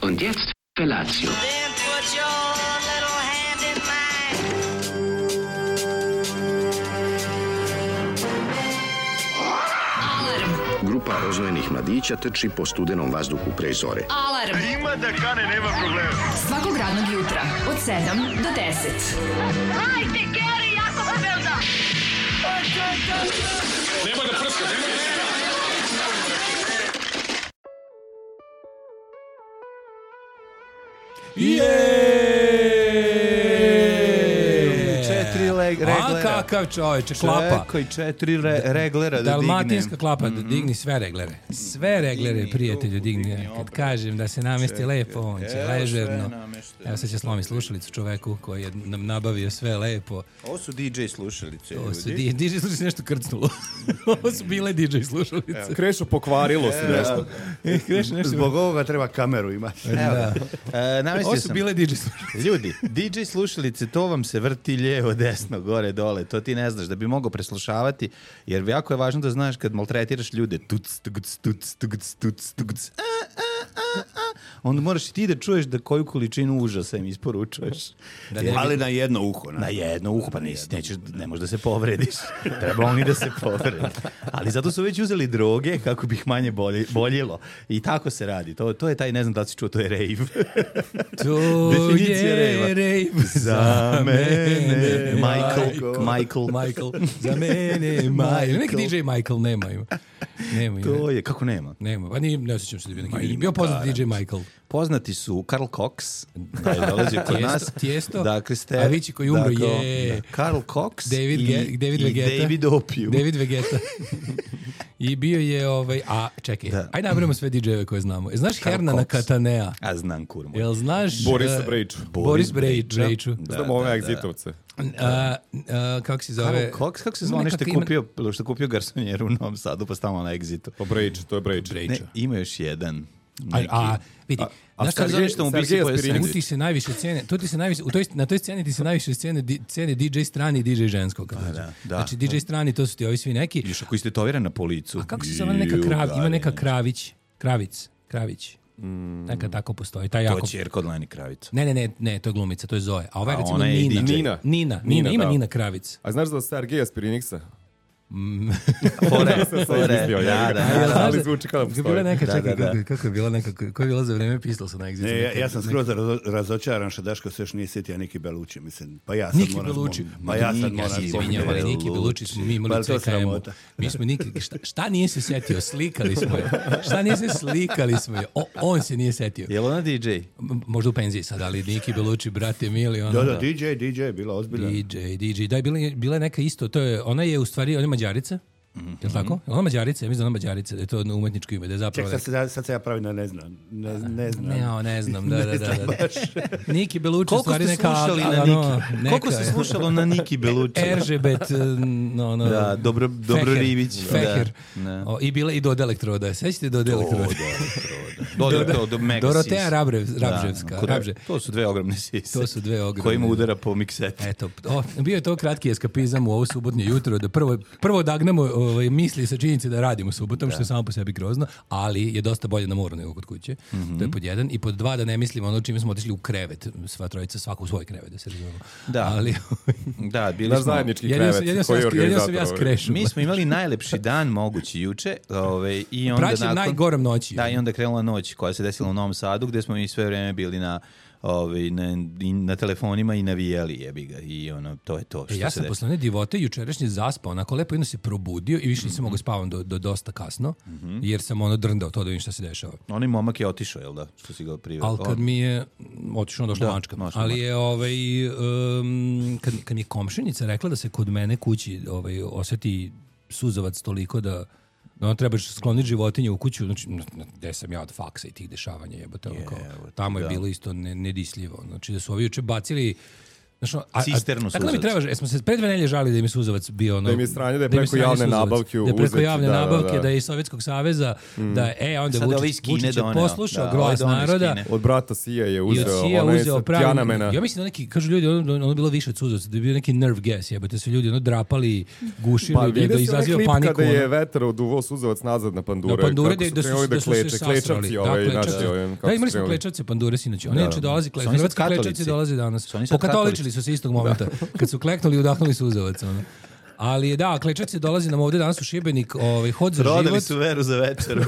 Und jetzt Felatio. Then put your little hand in mine. Grupa rozvojenih mladića trči po studenom vazduhu pre zore. Alarm. Ima da kane, nema problema. Svakog radnog jutra od 7 do 10. Hajde, Geri, jako se velda. Nema da prska, nema da... reglera. A kakav čovječe, klapa. Čekaj, 4 reglera da Dalmatinska klapa, digni sve reglere. Sve reglere, prijatelju, digni. Kad kažem da se namesti lepo, on će ležerno. Evo sad će slomi slušalicu čoveku koji je nam nabavio sve lepo. Ovo su DJ slušalice. Ovo su DJ slušalice nešto krcnulo. Ovo su bile DJ slušalice. Krešo, pokvarilo se nešto. Zbog ovoga treba kameru imati. Ovo su bile DJ slušalice. Ljudi, DJ slušalice, to vam se vrti lijevo, desno, gore, dole. To ti ne znaš da bi mogao preslušavati, jer jako je važno da znaš kad maltretiraš ljude, onda moraš i ti da čuješ da koju količinu užasa im isporučuješ. Ali na jedno uho. Na jedno uho, pa ne možeš da se povrediš. Treba oni da se povredi. Ali zato su već uzeli droge kako bi ih manje boljelo. I tako se radi. To je taj, ne znam da li si čuo, to je rave. To je rave za mene. Michael. Za mene, Michael. Neki DJ Michael nema. To je, kako nema? Nema, pa ne osjećam se da bi neki bio poznat DJ Michael. Poznati su Karl Cox, da je dolazio kod nas. Tijesto, dakle, Avicii koji umro je... Karl Cox David Vegeta. David Opium. David Vegeta. I bio je čekaj, ajde nabrimo sve DJ-eve koje znamo. Znaš Hernana Katanea? A znam, kurmo. Jel znaš... Boris Brejču. Znam ove egzitovce. Kako se zove? Karl Cox, kako se zove što kupio garsonjeru u Novom Sadu, pa stavamo na Exitu? Pa Brejču, to je Brejču. Ne, ima još jedan. Vidi, znaš kako zove što mu bi se pojasnili? Tu ti se najviše cijene, na toj sceni ti se najviše cijene DJ strani i DJ ženskog. Znači DJ strani, to su ti ovi svi neki. Još ako istetoviran na policu. A kako se zove ima neka Kravić. Neka tako postoji. To je ćerka od Leni Kravica. Ne, to je glumica, to je Zoe. A ova je recimo Nina. Ima Nina Kravic. A znaš da je Sergeja Spiriniksa? Fore. Ali zvuči kao da postoji. Kako je bila koja je bila za vreme Pistolsa na Exitu? Ja sam skroz razočaran što Daško se još nije sjetio Niki Bellucci, mislim. Pa ja sad Niki Bellucci. Ali Niki Bellucci smo mi imali CKM-u. Mi smo šta nije se sjetio? Slikali smo je. Šta nije se slikali smo je? On se nije sjetio. Je li ona DJ? Možda u penziji sad, ali Niki Bellucci, brate mili. Da, DJ, bila ozbiljna. DJ. Da, bila je neka isto. Ona je u stvari, ona je Mađarica. Je li tako? Ona Mađarica, ja mislim da ona Mađarica, da je to umetničko ime, da je zapravo... Sad se ja pravim da ne znam. Ne znam, da. Niki Bellucci, stvari neka... Koliko se slušalo na Niki Bellucci? Eržebet, Da, Dobro Rivić. Feher. I bila i Doda Elektroda. Sećate Doda Elektroda? Dorotea Rabževska. To su dve ogromne sise. Kojima udara po miksetu. Eto, bio je to kratki eskapizam u ovo subotnje jutro, da prvo odagnemo misli sa činjenice da radimo subotom, što je samo po sebi grozno, ali je dosta bolje na moru nego kod kuće. To je pod jedan. I pod dva, da ne mislimo ono čime smo otišli u krevet, sva trojica, svako u svoj krevet, da se razumemo. Da, bili smo... zajednički krevet. Jedino sam ja skrešao. Mi smo imali najlepši dan mogući juče. I onda praćem najgorom noći. Da, i onda krenula noć koja se desila u Novom Sadu, gde smo mi sve vreme bili na telefonima i navijeli, jebi ga, i to je to što se ja sam posle one divote jučerašnje zaspao, onako lepo, jedno se probudio i više nisam mogao spavam do dosta kasno, jer sam drndao to da vidim šta se dešava. Onaj momak je otišao, jel da? Što si ga priveo? Ali kad mi je otišao, došla mačka. Ali je, kad mi je komšinica rekla da se kod mene kući osjeti suzavac toliko da trebaš skloniti životinje u kuću, znači, gde sam ja od faksa i tih dešavanja, jebote, tamo je bilo isto nedisljivo. Znači, da su ovi juče bacili cisternu Tako da mi suzavca. treba, smo se pre 2 nedelje žalili da im je suzavac bio ono... Da im je sranje, da je im preko sranje javne suzavac. nabavke Da je preko uzeti, javne da, nabavke, da. da je iz Sovjetskog saveza, da je, onda Sad ovaj iz Vučić Kine je doneo. poslušao Da, glas ovaj doneo iz naroda. Kine. Od brata Sija je I uzeo, od Sija onaj uzeo sa pravi... Tjanamena. Ja mislim da neki, kažu ljudi, ono je bilo više od suzavca, da je bio neki nerve gas, jebate se ljudi, ono drapali, gušili, Pa da vidio si onaj izaziva klip paniku. kada je ono. vetar oduvao suzavac nazad na pandure. Na pandure kako da su krenuli se sasrali. klečavci, Da, naši, klečavci. Da, imali smo klečavce pandure sinoć. Oni inače dolazi, Su oni sad hrvatski klečavci katolici? dolaze danas. Su oni sad Pokatoličili su se istog momenta. Kad su kleknuli i udahnuli suzavac. Ono. Ali da, klečavci dolazi nam ovde danas u Šibenik, hod za Prodali život. su veru za večeru.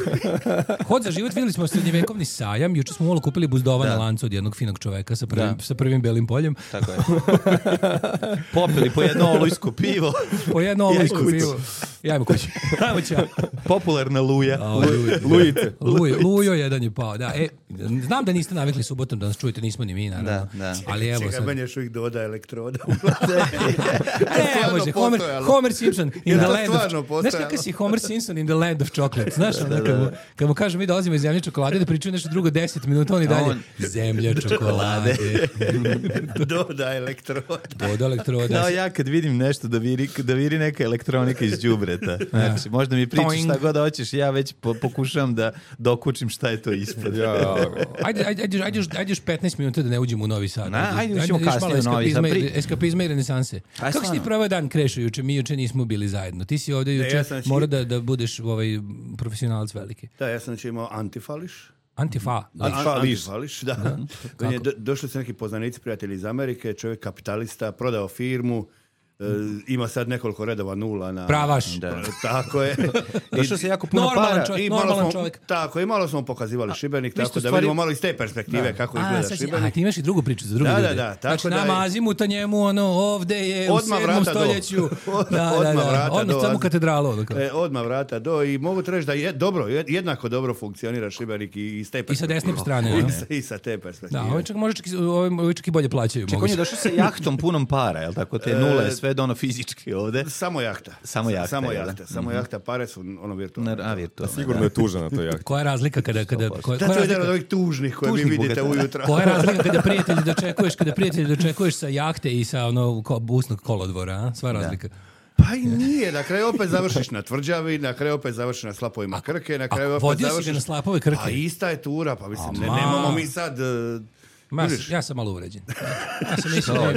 Hod za život, videli smo srednjevekovni sajam. Juče smo malo kupili buzdova na lancu od jednog finog čoveka sa prvim belim poljem. Tako je. Popili po jedno olujsko pivo. Po jedno olujsko pivo. Ajmo kući. Ajmo ćao. Popularna luja. Lujice. Lujo jedan je pao, da. Znam da niste navikli subotom da nas čujete, nismo ni mi, naravno. Da. Ali evo Čekaj, sad. meni još uvijek doda elektroda. Ne, može, Homer Simpson in Je the to land stvarno of... postojalo? Znaš kakav si Homer Simpson in the land of chocolate? Znaš, kad mu kažem mi dolazimo iz zemlje čokolade da pričaju nešto drugo 10 minuta, on i dalje zemlja čokolade. Doda elektroda. Doda elektroda. Kao ja kad vidim nešto da viri neka elektronika iz đubreta. Znači, možda mi pričaš šta god hoćeš, ja već pokušavam da dokučim šta je to ispod. Ajde još 15 minuta da ne uđemo u Novi Sad. Ajde uđemo kasnije u Novi Sad. Eskapizma i renesanse. Kako si ti proveo dan Krešo juče? Mi juče nismo bili zajedno. Ti si ovdje juče, mora da budeš profesionalac veliki. Da, ja sam imao antifališ. Antifališ, da. Došli su neki poznanici, prijatelji iz Amerike, čovjek kapitalista, prodao firmu, ima sad nekoliko redova nula na... Pravaš. Tako je. Došao se jako puno para. Normalan čovjek. Tako, i malo smo pokazivali Šibenik, tako da vidimo malo iz te perspektive kako izgleda Šibenik. A ti imaš i drugu priču za druge ljude. Da. Znači, nama azimuta njemu, ovde je u 7. stoljeću. Odmah vrata do. Samo katedralu. Odmah vrata do i mogu ti reći da je jednako dobro funkcionira Šibenik i iz te perspektive. I sa desne strane. I sa te perspektive. Da, ovi čak i bolje plaćaju. Čekaj, on je došao sa jahtom punom para, je li tako? Te nule, sve do ono fizički ovde. Samo jahta. Samo jahta, pare su ono virtualne. Sigurno je tužan na toj jahti. Koja je razlika kada to je jedan od ovih tužnih koje vi vidite ujutro. Koja je razlika kada prijatelji dočekuješ sa jahte i sa ono busnog kolodvora, sva razlika. Pa i nije, na kraju opet završiš na tvrđavi, na kraju opet završiš na slapovima Krke, na kraju opet vodio završiš... si ga na slapove Krke? Pa ista je tura, pa mislim, nemamo mi sad... Ja sam malo uvređen.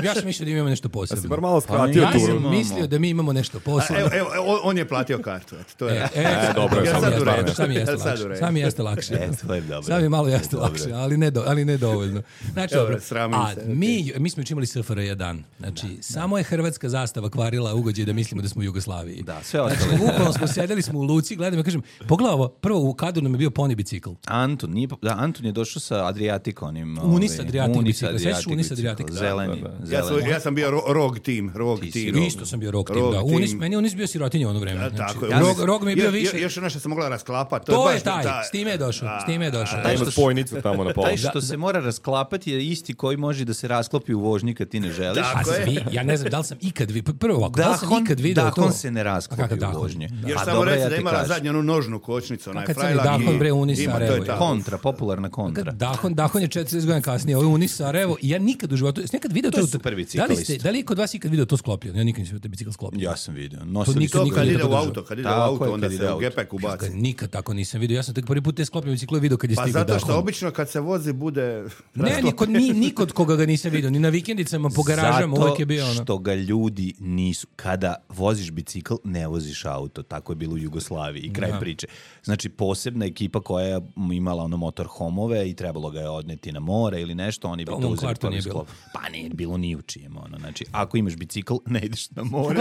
Ja sam mislio da imamo nešto posebno. Ja si bar malo skratio ja turu. sam mislio da mi imamo nešto posebno. Evo, on je platio kartu. To je dobro, sad mi jeste lakše. Sad mi malo jeste lakše, ali ne dovoljno. Znači, dobro. A mi smo imali SFRJ dan. Znači, samo je hrvatska zastava kvarila ugođaj da mislimo da smo u Jugoslaviji. Da, sve ostalo. Znači, bukvalno smo sedeli smo u luci, gledam, ja kažem, pogledaj ovo, prvo u kadru nam je bio poni bicikl. Anton je došao sa Adriatikonim. Unis Adriatik. Zeleni. Ja sam bio rog tim. Isto sam bio rog tim, da. Meni Unis bio sirotinja u ono vreme. Rog mi je bio više. Još ono što sam mogla rasklapati. To je taj, s time je došao. Taj ima spojnicu tamo na polu. Taj što se mora rasklapati je isti koji može da se rasklopi u vožnji kad ti ne želiš. Ja ne znam da li sam ikad vidio, prvo ovako, da li sam ikad vidio to? Dahon se ne rasklopi u vožnji. Još samo reći da imala zadnju onu nožnu kočnicu. Dahon bre Unis Sarajevo. Kontra, popularna kontra. Dahon je 40 godina kasnije, ovo je Unis Sarajevo. Ja nikad u životu, jesi nekad video to? Super biciklist. Da li je kod vas ikad video to sklopljeno? Ja nikad nisam video bicikl sklopljen. Ja sam video. To kad ide u auto, onda se u gepek ubaci. Nikad tako nisam video. Ja sam tek prvi put te sklopljene bicikle video kad je stigao Dahon. Pa zato što obično kad se vozi bude... Ne, nikod koga ga nisam video. Ni na vikendicama po garažama uvijek je bio ono. Zato što ga ljudi nisu... Kada voziš bicikl, ne voziš auto. Tako je bilo u Jugoslaviji i kraj priče. Znači, posebna ekipa koja je imala ono motorhomove i trebalo ga je odneti na more ili nešto, oni bi to uzeli prvi sklop. Pa nije bilo ni u čijem. Znači, ako imaš bicikl, ne ideš na more.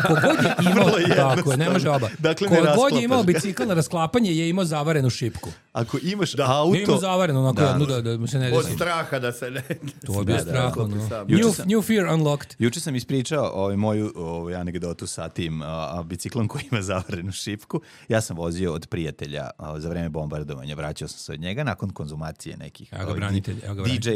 Kogod je imao, tako je, ne može oba. Kogod je imao bicikl na rasklapanje je imao zavarenu šipku. Ako imaš auto... Nije imao zavarenu, onako da mu se ne desi. Od straha da se ne... To je bio strah. New fear unlocked. Juče sam ispričao moju anegdotu sa tim biciklom koji ima zavarenu šipku. Ja sam vozio od prijatelja za vreme bombardovanja. Vraćao sam se od njega nakon konzumacije nekih DJ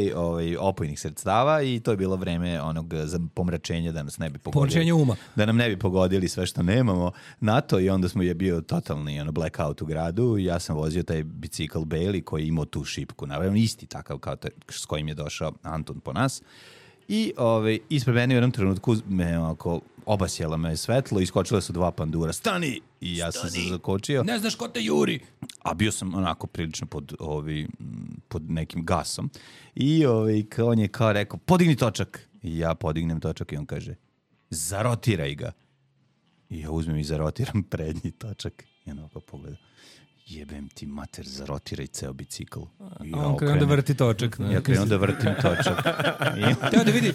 opojnih sredstava i to je bilo vreme onog pomračenja da nas ne bi pogodili. Pomračenje uma. Da nam ne bi pogodili sve što nemamo na to i onda je bio totalni blackout u gradu. Ja sam vozio taj bicikl Bailey koji je imao tu šipku. Naravno isti takav kao s kojim je došao Anton po nas. I ispred mene u jednom trenutku me ovako obasjela me svetlo, iskočile su 2 pandura. Stani! I ja sam se zakočio. Ne znaš ko te juri. A bio sam onako prilično pod nekim gasom. I on je kao rekao, podigni točak. I ja podignem točak i on kaže, zarotiraj ga. I ja uzmem i zarotiram prednji točak. I on ovako pogleda. Jebem ti mater, zarotiraj ceo bicikl. A on krenuo da vrti točak. Ja krenuo da vrtim točak. Hteo da vidi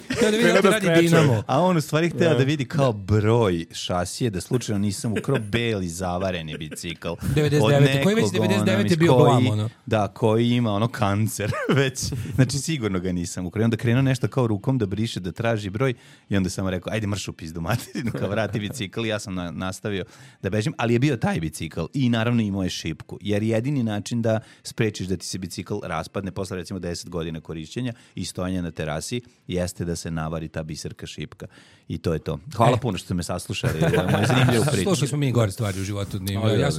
da ti radi Dinamo. A on u stvari hteo da vidi kao broj šasije, da slučajno nisam ukrao beli zavareni bicikl. 99. Koji već 99 je bio glam, ono. Da, koji ima kancer već. Znači sigurno ga nisam ukrao. Onda krenuo nešto kao rukom da briše, da traži broj i onda sam rekao, ajde mrš u pizdu materinu, kao vrati bicikl. Ja sam nastavio da bežim, ali je bio taj bicikl i naravno imao je šipku. Jer jedini način da sprečiš da ti se bicikl raspadne posle recimo 10 godina korišćenja i stojanja na terasi jeste da se navari ta biserka šipka. I to je to. Hvala puno što ste me saslušali. Ovo je zanimljivo priču. Slušali smo mi gore stvari u životu.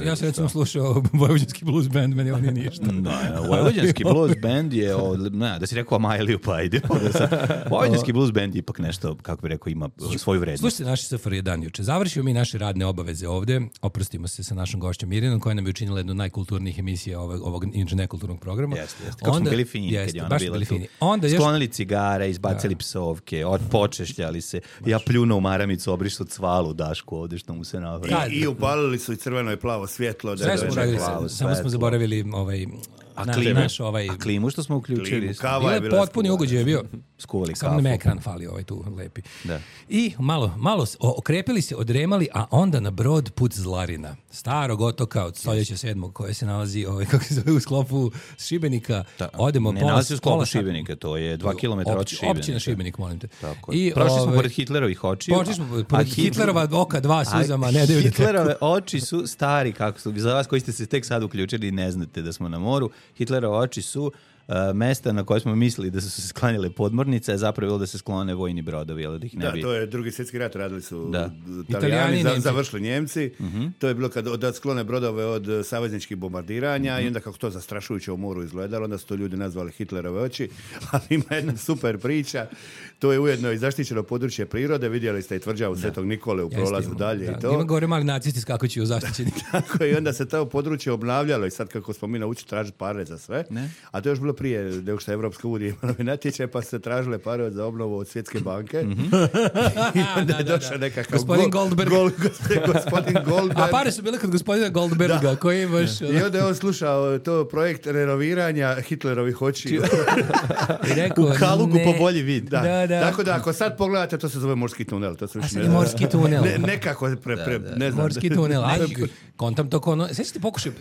Ja sam recimo slušao Vojvođanski blues band, meni on nije ništa. Vojvođanski blues band je, da si rekao Amajliju, pa ide. Vojvođanski blues band ipak nešto, kako bi rekao, ima svoju vrednost. Slušajte naši SFRJ dan juče. Završio mi naše radne obaveze ovde. Oprostimo se sa našom gošćom Mirjanom, koja nam je učinila jednu najkulturnijih emisija ovog inače nekulturnog programa. Jeste. Kako smo bili fini kad je ona bila tu. Sklonili cigare, izbacili psovke, počešljali se. Ja pljuno u maramicu, obrišao cvalu Dašku ovde što mu se navrati. I upalili su i crveno i plavo svjetlo. Sve smo uradili, samo smo zaboravili A klimu što smo uključili. Bila je potpuni ugođaj je bio. Skuvali kafu. Samo nam ekran fali tu lepi. Da. I malo okrepili se, odremali, a onda na brod put Zlarina. Starog otoka od stoljeća 7. koje se nalazi kako se zove, u sklopu Šibenika. Odemo ne nalazi u sklopu Šibenika, to je 2 km od Šibenika. Općina Šibenik, molim te. Prošli smo pored Hitlerovih očiju. Prošli smo pored Hitlerova oka 2 suzama. Hitlerove oči su stari, kako su, za vas koji ste se tek sad uključili i ne znate da smo na moru. Hitlerove oči su mesta na koje smo mislili da su se sklanjale podmornice, a zapravo bilo da se sklone vojni brodovi, ali da ih ne bi... Da, to je Drugi svjetski rat, radili su Italijani, završili Njemci. To je bilo kad sklone brodove od savezničkih bombardiranja i onda kako to zastrašujuće u moru izgledalo, onda su to ljudi nazvali Hitlerove oči, ali ima jedna super priča, to je ujedno i zaštićeno područje prirode, vidjeli ste i tvrđavu Svetog Nikole u prolazu dalje i to. Ima gore mali nacisti skakući u zaštićeni. Tako i onda se to područje obnavljalo i sad kako smo mi naučili tražiti pare za sve, a to je još bilo prije nego što je Evropska unija imala natječaj, pa su se tražile pare za obnovu od Svjetske banke. I onda je došao nekakav gospodin Goldberg. Gospodin Goldberg. A pare su bile kod gospodina Goldberga, koji imaš... I onda je on slušao to projekt renoviranja Hitlerovih očiju. Rekao, u kalugu po bolji vid. Da. Tako da ako sad pogledate, to se zove morski tunel. To se morski tunel. Nekako ne znam. Morski tunel. Kontam to kono... Sveći ti pokušaj...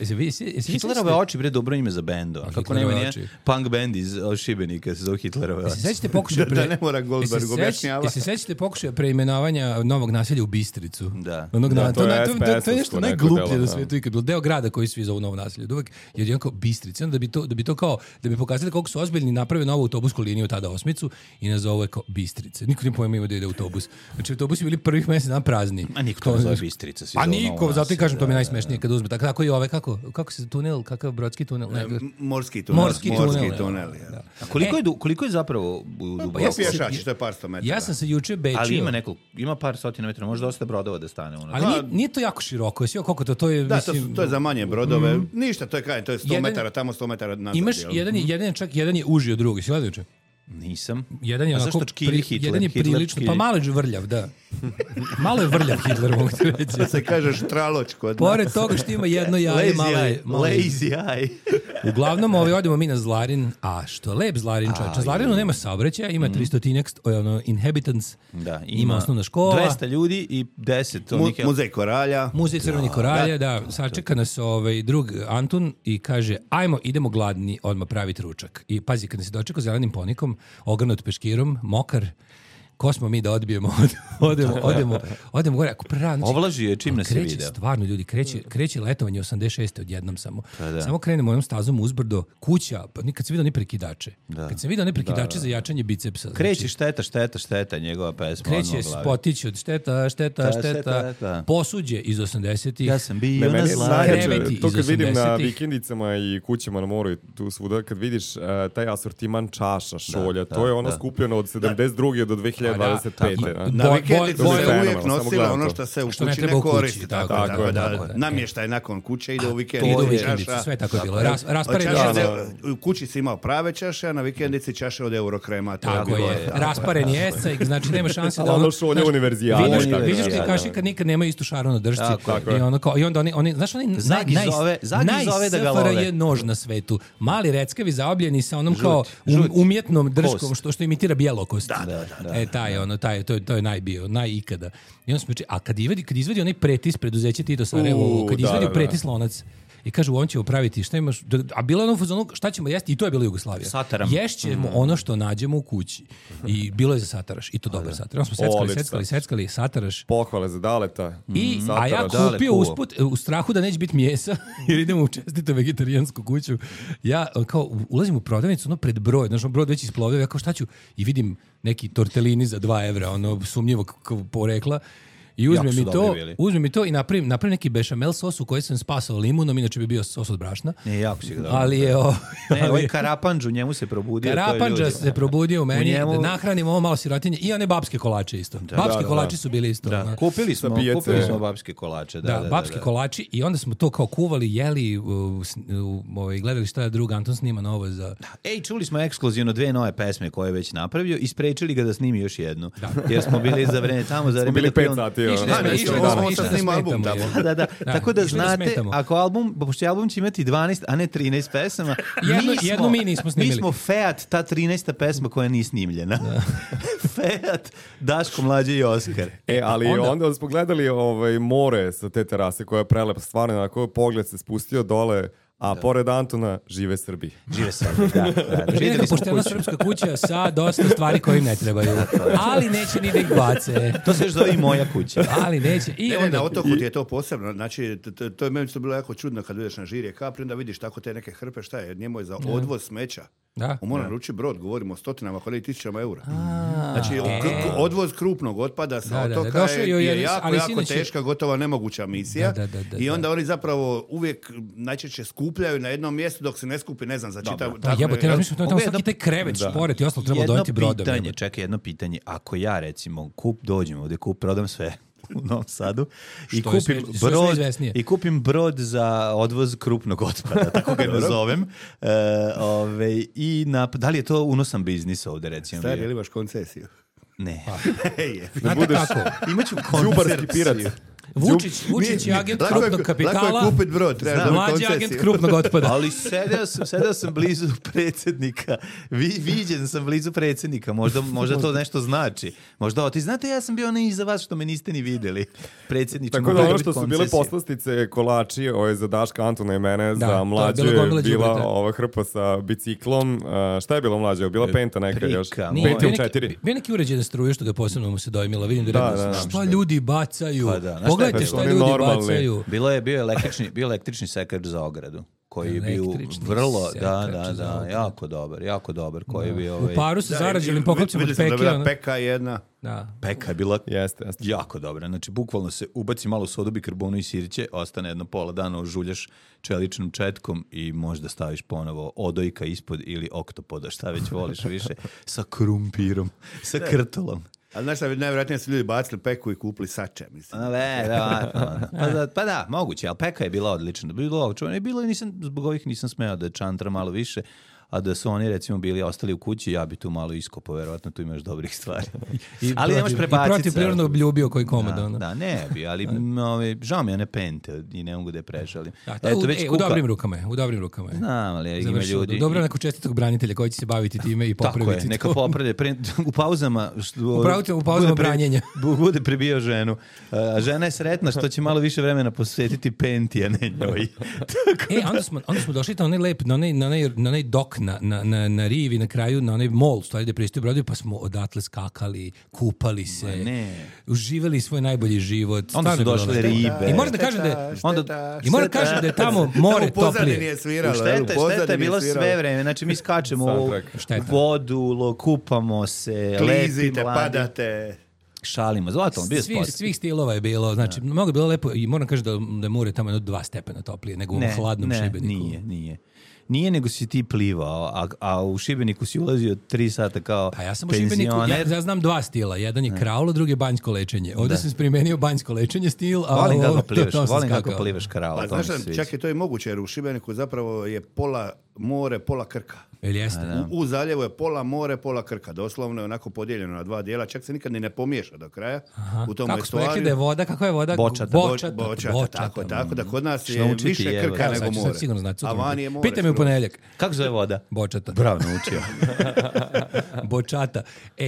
Hitlerove oči, bre, dobro ime za bendo. Kako nema nije punk band iz Šibenika se zove Hitlerove oči. Sveći ti pokušaj... Da ne mora Goldberg objašnjava. Se sveći pokušaj preimenovanja novog naselja u Bistricu. Da. To je nešto najgluplje na svetu ikad bilo. Deo grada koji svi zovu novo naselje. Jer je kao Bistrica. Da bi to kao... Da bi pokazali koliko su ozbiljni, naprave novu autobusku liniju tada Osmicu i nazove kao Bistrice. Niko nije pojma ima da ide autobus. Znači autobusi bili prvih mjesec dan prazni. A niko to zove Bistrica. A niko, zato i kažem, to mi je najsmešnije kad uzme. Tako i ove, kako se tunel, kakav brodski tunel? Morski tunel. A koliko je zapravo duboko? Pješači, to je par sto metara. Ja sam se juče bečio. Ali ima par stotina metara, možda dosta brodova da stane. Ali nije to jako široko. Koliko to je, mislim... to je za manje brodove. Ništa, to je 100 metara, tamo 100 metara nazad. Imaš, jedan je uži od drugog. Si gledao juče? Nisam. Jedan je onako, jedan je prilično, pa malo je vrljav, da. Malo je vrljav Hitler, mogu ti reći. Da se kaže štraloč kod nas. Pored toga što ima jedno jaje, malo je. Lazy eye. Uglavnom, odemo mi na Zlarin, a što lep Zlarin, čovječ. Na Zlarinu nema saobraćaja, ima 300 inhabitants, ima osnovna škola. 200 ljudi i 10 Muzej koralja. Muzej crvenih koralja, da. Sačeka nas drug Antun i kaže, ajmo, idemo gladni, odmah praviti ručak. I pazi, kad nas je dočekao zelenim ponikom, ogrnut peškirom, mokar, ko smo mi da odbijemo, odemo gore, ako prerano. Ovlaži je čim nas je video. Stvarno, ljudi, kreće letovanje 86. odjednom samo. Samo krenemo onom stazom uzbrdo, kuća, pa nikad se vidio ni prekidače. Kad sam vidio ne prekidače za jačanje bicepsa. Kreće šteta, njegova pesma. Kreće spotić od šteta, posuđe iz 80-ih. Ja sam bio Meni je najjače, to kad vidim na 80-ih. vikendicama i kućama na moru i tu svuda, kad vidiš taj asortiman čaša, šolja, to je ono skupljeno od 72. do 2025. Na vikendicu se uvijek fenomenalno, samo nosila gledam ono to. što se u Što ne kući treba ne u kući, koristi. tako Tako da je. namještaj nakon kuće ide u Idu u vikendicu. vikendicu, čaša. sve tako je bilo. Od Rasparen čaše u kući si imao prave čaše, a na vikendici čaše od Eurokrema. Tako je. Rasparen je escajk, znači nema šanse da Ono šolje univerzijale. Vidiš ti kaši kad nikad nema istu šaru na držci. I onda oni, znaš oni Zagi zove da ga love. je nož na svetu. Mali reckavi zaobljeni sa onom kao umjetnom držkom što imitira bjelokost. To je najbio, najikada. I on smo a kad izvedi onaj pretis preduzeće Tito Sarajevo, kad izvedi pretis lonac i kaže, on ćemo praviti, šta imaš, a bilo je ono fazonu, šta ćemo jesti, i to je bila Jugoslavija. Sataram. Ješćemo ono što nađemo u kući. I bilo je za sataraš, i to dobar sataraš. Onda smo seckali sataraš. Pohvale za Daleta. A ja kupio usput, u strahu da neće biti mjesa, jer idemo u čestitu vegetarijansku kuću, ja kao ulazim u prodavnicu, ono pred brod, znaš, brod već isplovio, ja kao šta ću, i vidim neki tortelini za 2 evra, ono sumnjivo porekla. I uzmem i to i napravim neki bešamel sos u koji sam spasao limunom, inače bi bio sos od brašna. Ne, jako si ga dobro. Ali je ovaj Karapandžu, njemu se probudio. Karapandža se probudio u meni, da nahranim ovo malo sirotinje i one babske kolače isto. Babski kolači su bili isto. Kupili smo babske kolače. Babski kolači i onda smo to kao kuvali, jeli, gledali šta je drug Anton snima novo za... Čuli smo ekskluzivno 2 nove pesme koje je već napravio i sprečili ga da snimi još jednu. Jer smo bili za vreme tamo, za vreme... 5 sati. Tako da znate, ako pošto album će imati 12, a ne 13 pesama, jednu mi nismo snimili. Mi smo Fiat, ta 13. pesma koja nije snimljena. Fiat, Daško, Mlađe i Oskar. Ali onda smo gledali more sa te terase koja je prelepa, stvarno, onako pogled se spustio dole. A pored Antona, žive Srbi. Žive Srbi, da. Žive poštena srpska kuća sa dosta stvari koje im ne trebaju. Ali neće ni da ih bace. To se još zove i moja kuća. Ali neće. I onda na otoku ti je to posebno. Znači, to je meni bilo jako čudno kad vidiš na Žirje Kapri, da vidiš tako te neke hrpe, šta je, njemu je za odvoz smeća. On mora naručiti brod, govorimo o stotinama, ali i tisućama eura. Znači, odvoz krupnog otpada sa otoka je jako teška, gotovo nemoguća misija. I onda oni zapravo uvijek najčešće skupljaju na jednom mjestu dok se ne skupi, ne znam, za čitav... Jebote, ja mislim, tamo svaki taj krevet, šporet i ostalo treba doneti brodom. Jedno pitanje, ako ja recimo dođem ovdje, prodam sve u Novom Sadu i kupim brod za odvoz krupnog otpada, tako ga nazovem. Da li je to unosan biznis ovdje, recimo? Stari, ili imaš koncesiju? Ne. Znate kako? Imaću koncerciju. Vučić je agent krupnog kapitala. Lako je kupit brod, treba mlađi agent krupnog otpada. Ali sedeo sam blizu predsjednika. Viđen sam blizu predsjednika. Možda to nešto znači. Možda ti znate, ja sam bio iza vas što me niste ni vidjeli. Predsjedniče, tako da ono što su bile poslastice kolači, za Daška, Antona i mene, za Mlađu je bila ova hrpa sa biciklom. Šta je bilo Mlađe? Bila penta neka još? Penta u 4. Bio neki uređene struje što ga posebno mu se dojmilo. Vidim da šta ljudi bacaju. Pogledajte šta ljudi bacaju. Bio je električni sekač za ogradu. Koji je bio vrlo, jako dobar, koji je bio... U paru sa zarađenim poklopcima od Peke. Vidjeli smo da je bila Peka jedna. Peka je bila jako dobra. Znači, bukvalno se ubaci malo sodu, bikarbonu i sirće, ostane jedno pola dana, ožuljaš čeličnom četkom i možda staviš ponovo odojka ispod ili oktopoda, šta već voliš više, sa krumpirom, sa krtolom. Ali znaš šta, najvjerojatnije su ljudi bacili Peku i kupili sače, mislim. Pa da, moguće, ali Peka je bila odlična. Zbog ovih nisam smeo da čantra malo više, a da su oni recimo bili ostali u kući, ja bi tu malo iskopao, verovatno tu imaš dobrih stvari. Ali nemaš prebaciti. I protiv prirodnog ljubio koji komad. Da, ne bi, ali žao mi je one pente i ne mogu da je prešalim. U dobrim rukama je. Znam, ali ima ljudi. Dobro neko čestitog branitelja koji će se baviti time i popraviti. Tako je, neka popravlja. U pauzama branjenja. Bude pribio ženu. Žena je sretna što će malo više vremena posvetiti penti, a ne njoj. Onda smo došli na onaj lep, na onaj dokni na rivi, na kraju, na onaj mol, stvari da pristaju brodovi, pa smo odatle skakali, kupali se, uživali svoj najbolji život. Onda su došle ribe. I moram da kažem da je tamo more toplije. Šteta je bilo sve vreme. Znači mi skačemo u vodu, kupamo se, klizite, padate. Šalimo, zlatom, bio sport. Svih stilova je bilo, znači mnogo je bilo lepo i moram kažem da je more tamo 2 stepena toplije nego u hladnom Šibeniku. Nije, nego si ti plivao, a u Šibeniku si ulazio 3 sata kao pensioner. A ja sam u Šibeniku, ja znam 2 stila. Jedan je kraulo, drugi je banjsko lečenje. Ovdje sam primenio banjsko lečenje stil, a volim kako plivaš kraulo. Pa znaš, čak i to je moguće, jer u Šibeniku zapravo je pola more, pola Krka. U zaljevu je pola more, pola Krka. Doslovno je onako podijeljeno na 2 dijela. Čak se nikad ni ne pomiješa do kraja. U tom kako smo rekli da je voda? Kako je voda? Bočata. Tako da kod nas je više Krka nego more. A vani je more. Pitaj me u ponedjeljak. Kako zove voda? Bočata. Bravo, naučio. Bočata.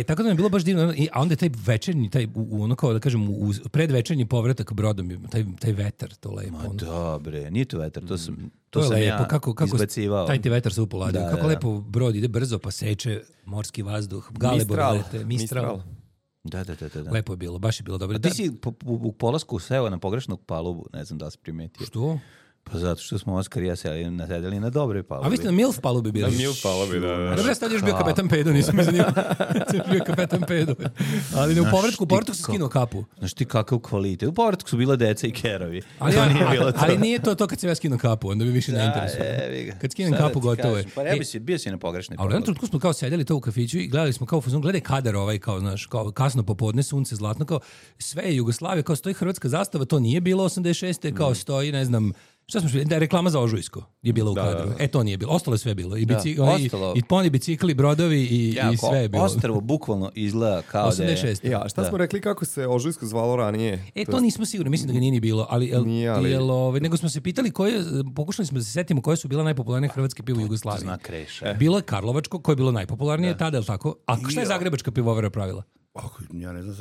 Tako da mi je bilo baš divno. A onda je taj večernji, ono kao da kažem, predvečernji povratak brodom, taj vetar, to lepo. Ma dobre, nije to vetar, to sam lepo. Ja kako izbacivao. Taj ti vetar se upoladio. Kako lepo brod ide brzo pa seče morski vazduh. Mistral. Da. Lepo je bilo, baš je bilo dobro. A ti si u polasku seo na pogrešnu palubu, ne znam da si primetio. Što? Pa zato što smo Oskar i ja sedeli na dobroj palubi. A vi ste na MILF palubi bili? Na MILF palubi, da. Dobro, ja sad još bio kapetan Pedo, nisam mi zanimao. Bio kapetan Pedo. Ali u povratku se skinuo kapu. Znaš ti kakav kvalitet. U povratku su bila deca i kerovi. Ali nije to kad se ja skinu kapu, onda bi više ne interesuo. Kad skinem kapu, gotovo je. Pa bio si na pogrešnoj palubi. Ali u jednom trenutku smo kao sedeli to u kafiću i gledali smo kao fuzon, gledaj kadar ovaj, kao, znaš, kao kasno popodne, sunce, zlatno, kao sve je Jugoslavija, kao stoji hrvatska zastava, to nije bilo 86. kao stoji, ne znam, šta smo šli? Da je reklama za Ožujsko je bila u kadru. To nije bilo. Ostalo je sve bilo. I poni bicikli, brodovi i sve je bilo. Ostrvo bukvalno izgleda kao 86. da je... Ja, šta smo rekli kako se Ožujsko zvalo ranije? To nismo sigurni. Mislim da ga nije ni bilo. Nego smo se pitali pokušali smo da se setimo koje su bila najpopularnije hrvatske pivo u Jugoslaviji. Zna Kreša. Bilo je Karlovačko, koje je bilo najpopularnije tada, je li tako? A šta je Zagrebačka pivovara pravila? Ja ne znam,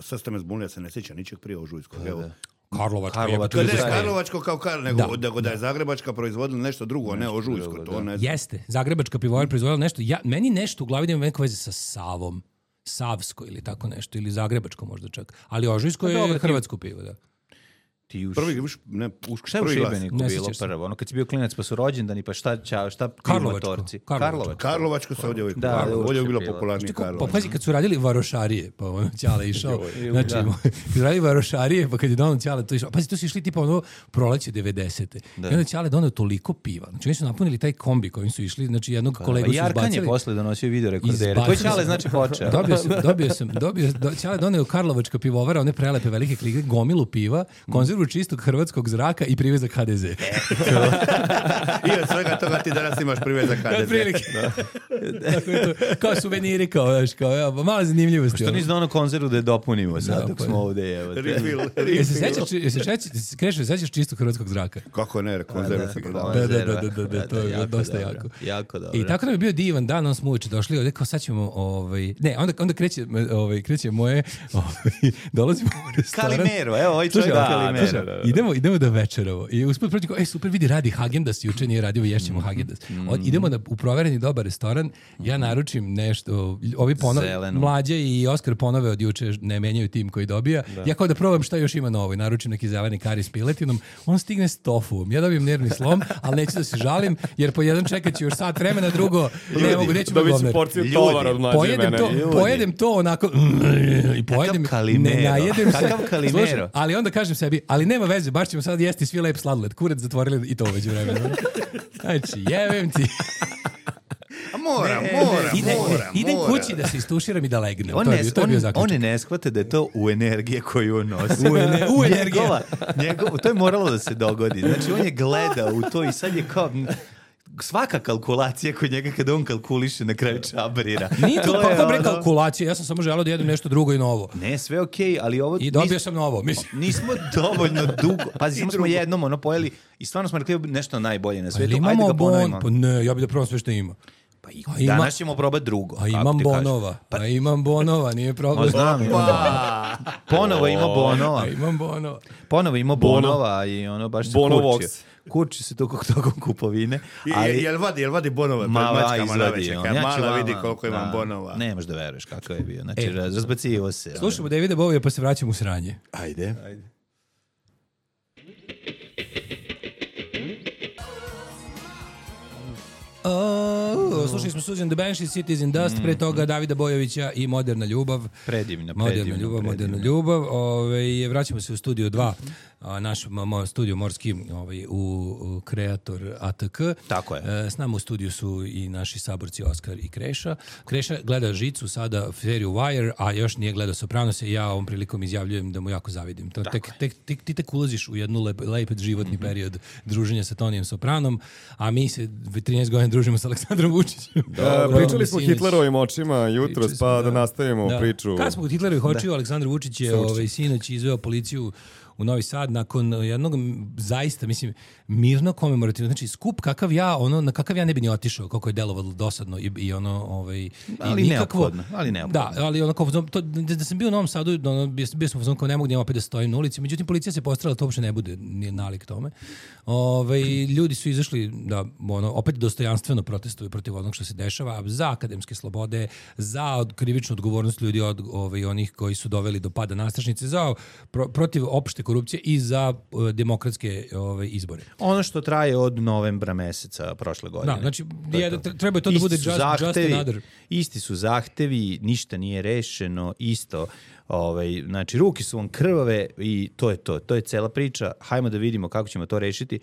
sad ste me zbunili, ja se ne sjećam ničeg prije Ožujskog. Karlovačko kao nego da je Zagrebačka proizvodila nešto drugo, ne Ožujsko. To ne znam. Jeste, Zagrebačka pivovara proizvodila nešto. Meni nešto u glavi nema neko veze sa Savom. Savsko ili tako nešto, ili Zagrebačko možda čak. Ali Ožujsko je hrvatsko pivo, da. Šta je u Šibeniku bilo prvo? Ono kad si bio klinac pa su rođendani, pa šta motorci? Karlovačko se ovdje je bilo popularnije Karlovačko. Pa pazi, kad su radili varošarije, pa ono Ćale išao, znači, kad su radili varošarije, pa kad je donao Ćale to išao, pazi, to su išli tipa ono proleće 90. I onda Ćale donao toliko piva. Znači, oni su napunili taj kombi kojim su išli, znači jednog kolegu su izbacili. Jarkan je posle donosio video rekordere. Koji Ćale znači počeo? Ćale doneo Karlovačka pivovara, one prelepe velike klike, gomilu piva, konzervu čistog hrvatskog zraka i privezak HDZ. I od svega toga ti danas imaš privezak HDZ. Kao suveniri, kao mala zanimljivosti. Što nisi dono konzervu da je dopunimo sad dok smo ovdje. Krešo, sećaš čistog hrvatskog zraka? Kako ne, konzervu se prodava. Da, to je dosta jako. Jako dobro. I tako nam je bio divan dan, on smo uveče došli ovdje, kao sad ćemo, onda kreće moje, dolazimo u restoran. Kalimero, evo, ovaj čovjek Kalimero. Idemo da večeramo. I usput protiv super vidi radi Häagen-Dazs, juče nije radio, ješćemo Häagen-Dazs. Idemo u provereni dobar restoran, ja naručim nešto, ovi mlađe i Oskar ponove od juče ne menjaju tim koji dobija. Ja kao da probam šta još ima novo i naručim neki zeleni kari s piletinom, on stigne s tofuom. Ja dobijem nervni slom, ali neću da se žalim, jer po jedan čekat ću još sat vremena, drugo ne mogu, neću mi govner. Pojedem to onako i pojedem, ne najedem se. Kalimero. Ali onda kažem sebi, ali nema veze, baš ćemo sad jesti svi lep sladoled. Kurac zatvorili i to uveđu vremena. Znači, jevem ti. Moram. Idem kući da se istuširam i da legnem. On ne shvate da je to u energije koju on nosi. U energije. To je moralo da se dogodi. Znači, on je gleda u to i sad je kao... Svaka kalkulacija kod njega kada on kalkuliše na kraju čabrira. Nije to kakva bre kalkulacija, ja sam samo želeo da jedem nešto drugo i novo. Ne, sve okej, ali ovo... I dobio sam novo, mislim. Nismo dovoljno dugo... Pazi, samo smo jednom pojeli i stvarno smo rekli nešto najbolje na svijetu. Ajde ga ponovimo. Pa ne, ja bih da probam sve što ima. Danas ćemo probati drugo. A imam bonova, nije problem. Znam, ponovo ima bonova. Imam bonova. Ponovo ima bonova i ono baš se kurčio. kurči se tokom kupovine. Ali, jel vadi bonove pred mačkama na večer? Kad mala vidi koliko imam bonova. Nemaš da veruješ kako je bio. Znači, razbacivo se. Slušamo Davida Bovija pa se vraćamo u sranje. Ajde. Slušali smo Susan the Banshees, Cities in Dust, pre toga Davida Bojovića i Moderna ljubav. Predivna ljubav. Vraćamo se u studio 2, naš studio morski u Kreator ATK. Tako je. S nama u studiju su i naši saborci Oskar i Kreša. Kreša gleda Žicu, sada seriju Wire, a još nije gledao Sopranose i ja ovom prilikom izjavljujem da mu jako zavidim. Ti tek ulaziš u jednu lep životni period druženja sa Tonijem Sopranom, a mi se 13 godina družimo sa Aleksandrom Vučićem. Pričali smo Hitlerovim očima jutros, pa da nastavimo priču. Kad smo kod Hitlerovih očiju, Aleksandar Vučić je sinoć izveo policiju u Novi Sad nakon jednog zaista, mislim, mirno komemorativno, znači skup na kakav ja ne bi ni otišao, kako je delovalo dosadno i ali nikakvo, neophodno. Da, ali da sam bio u Novom Sadu, bio sam kao ne mogu opet da stojim na ulici, međutim policija se postarala da to uopšte ne bude nije nalik tome. Ljudi su izašli da opet dostojanstveno protestuju protiv onog što se dešava, za akademske slobode, za krivičnu odgovornost ljudi od onih koji su doveli do pada nastrašnice, za protiv opšte korupcije i za demokratske izbore. Ono što traje od novembra meseca prošle godine. Da, znači treba to da bude just another. Isti su zahtevi, ništa nije rešeno, isto. Znači, ruke su vam krvave i to je to. To je cela priča. Hajmo da vidimo kako ćemo to rešiti.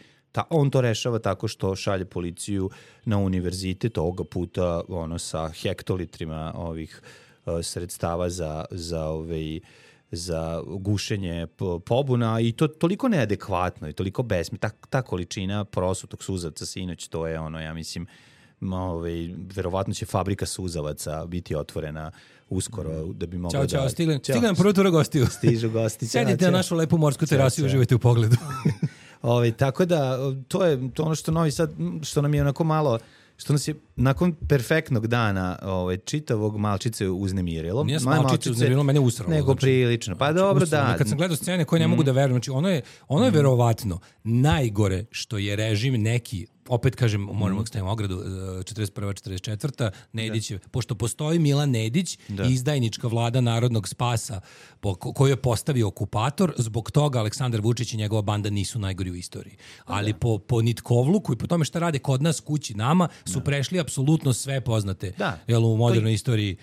On to rešava tako što šalje policiju na univerzitet, ovoga puta sa hektolitrima ovih sredstava za gušenje pobuna i to toliko neadekvatno i toliko besmisleno. Ta količina prosutog suzavca sinoć, to je ja mislim, verovatno će fabrika suzavaca biti otvorena uskoro da bi mogla Ćao, stigle nam prvo tura gostiju. Stižu gosti. Sedite na našu lepu morsku terasu i uživajte u pogledu. Tako da, to je ono što Novi Sad, što nam je onako malo, što nas je nakon perfektnog dana čitavog malčice uznemirilo. Nije malčice uznemirilo, mene usralo. Nego prilično. Pa dobro, da. Kad sam gledao scene koje ne mogu da verujem, znači ono je verovatno najgore što je režim neki, opet kažem, moramo da stavimo ogradu, 41. 44. Nedićev, pošto postoji Milan Nedić i izdajnička vlada Narodnog spasa koju je postavio okupator, zbog toga Aleksandar Vučić i njegova banda nisu najgori u istoriji. Ali po nitkovluku i po tome šta rade kod nas kući nama su prešli apsolutno sve poznate u modernoj istoriji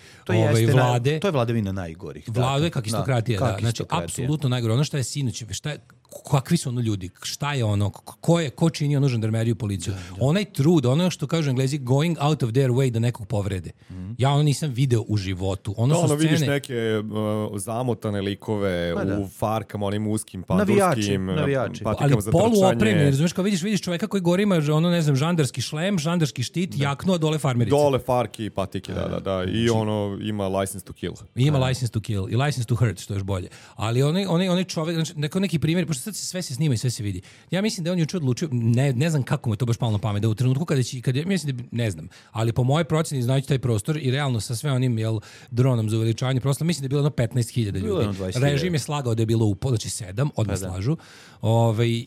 vlade. To je vladavina najgorih. Vlade kakistokratija, znači apsolutno najgore. Ono što je sinoć, kakvi su ljudi, šta je ko čini žandarmeriju, policiju. Onaj trud, ono što kažu Englezi, going out of their way da nekog povrede. Ja nisam video u životu. Vidiš neke zamotane likove u farkama, onim uskim, pandurskim patikama za trčanje. Ali poluopremljeni, razumiješ, kao vidiš čoveka koji gori ima žandarski šlem, žandarski štit, jaknu, a dole farmerice. Dole farki i patike, da. I ima license to kill. Ima license to kill i license to hurt, što je još bolje. Ali onaj čovek, neki primjer, pošto sad sve se snima i sve se vidi. Ja mislim da on juče odlučio, ne znam kako mu je to baš palo na pamet, da u trenutku kada mislim da ne znam, ali po mojoj proceni znajući taj prostor i realno sa sve onim dronom za uveličavanje prostora, mislim da je bilo 15.000 ljudi. Režim je slagao da je bilo znači 7, odmah slažu.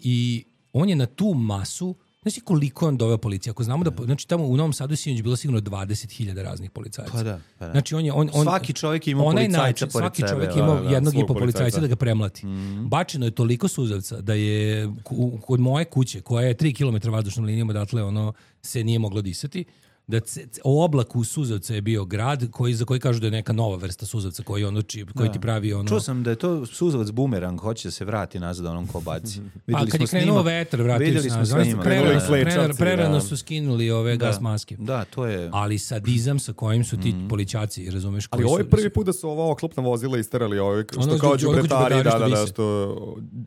I on je na tu masu, znači koliko on doveo policije? Ako znamo da, znači tamo u Novom Sadu sinoć bilo sigurno 20.000 raznih policajaca. Pa da. Znači svaki čovjek ima policajca pored sebe. Svaki čovjek ima jednog i po policajca da ga premlati. Bačeno je toliko suzavca da je kod moje kuće, koja je 3 km vazdušnom linijom odatle, se nije moglo disati. Da o oblaku suzavca je bio grad za koji kažu da je neka nova vrsta suzavca koji ti pravi Čuo sam da je to suzavac bumerang, hoće da se vrati nazad onom ko baci. A kad je krenuo vetar, vratili se nazad. Prerano su skinuli ove gas maske. Da, to je... Ali sadizam sa kojim su ti policajaci, razumeš? Ali ovo je prvi put da su ova oklopna vozila isterali, što kao đubretari,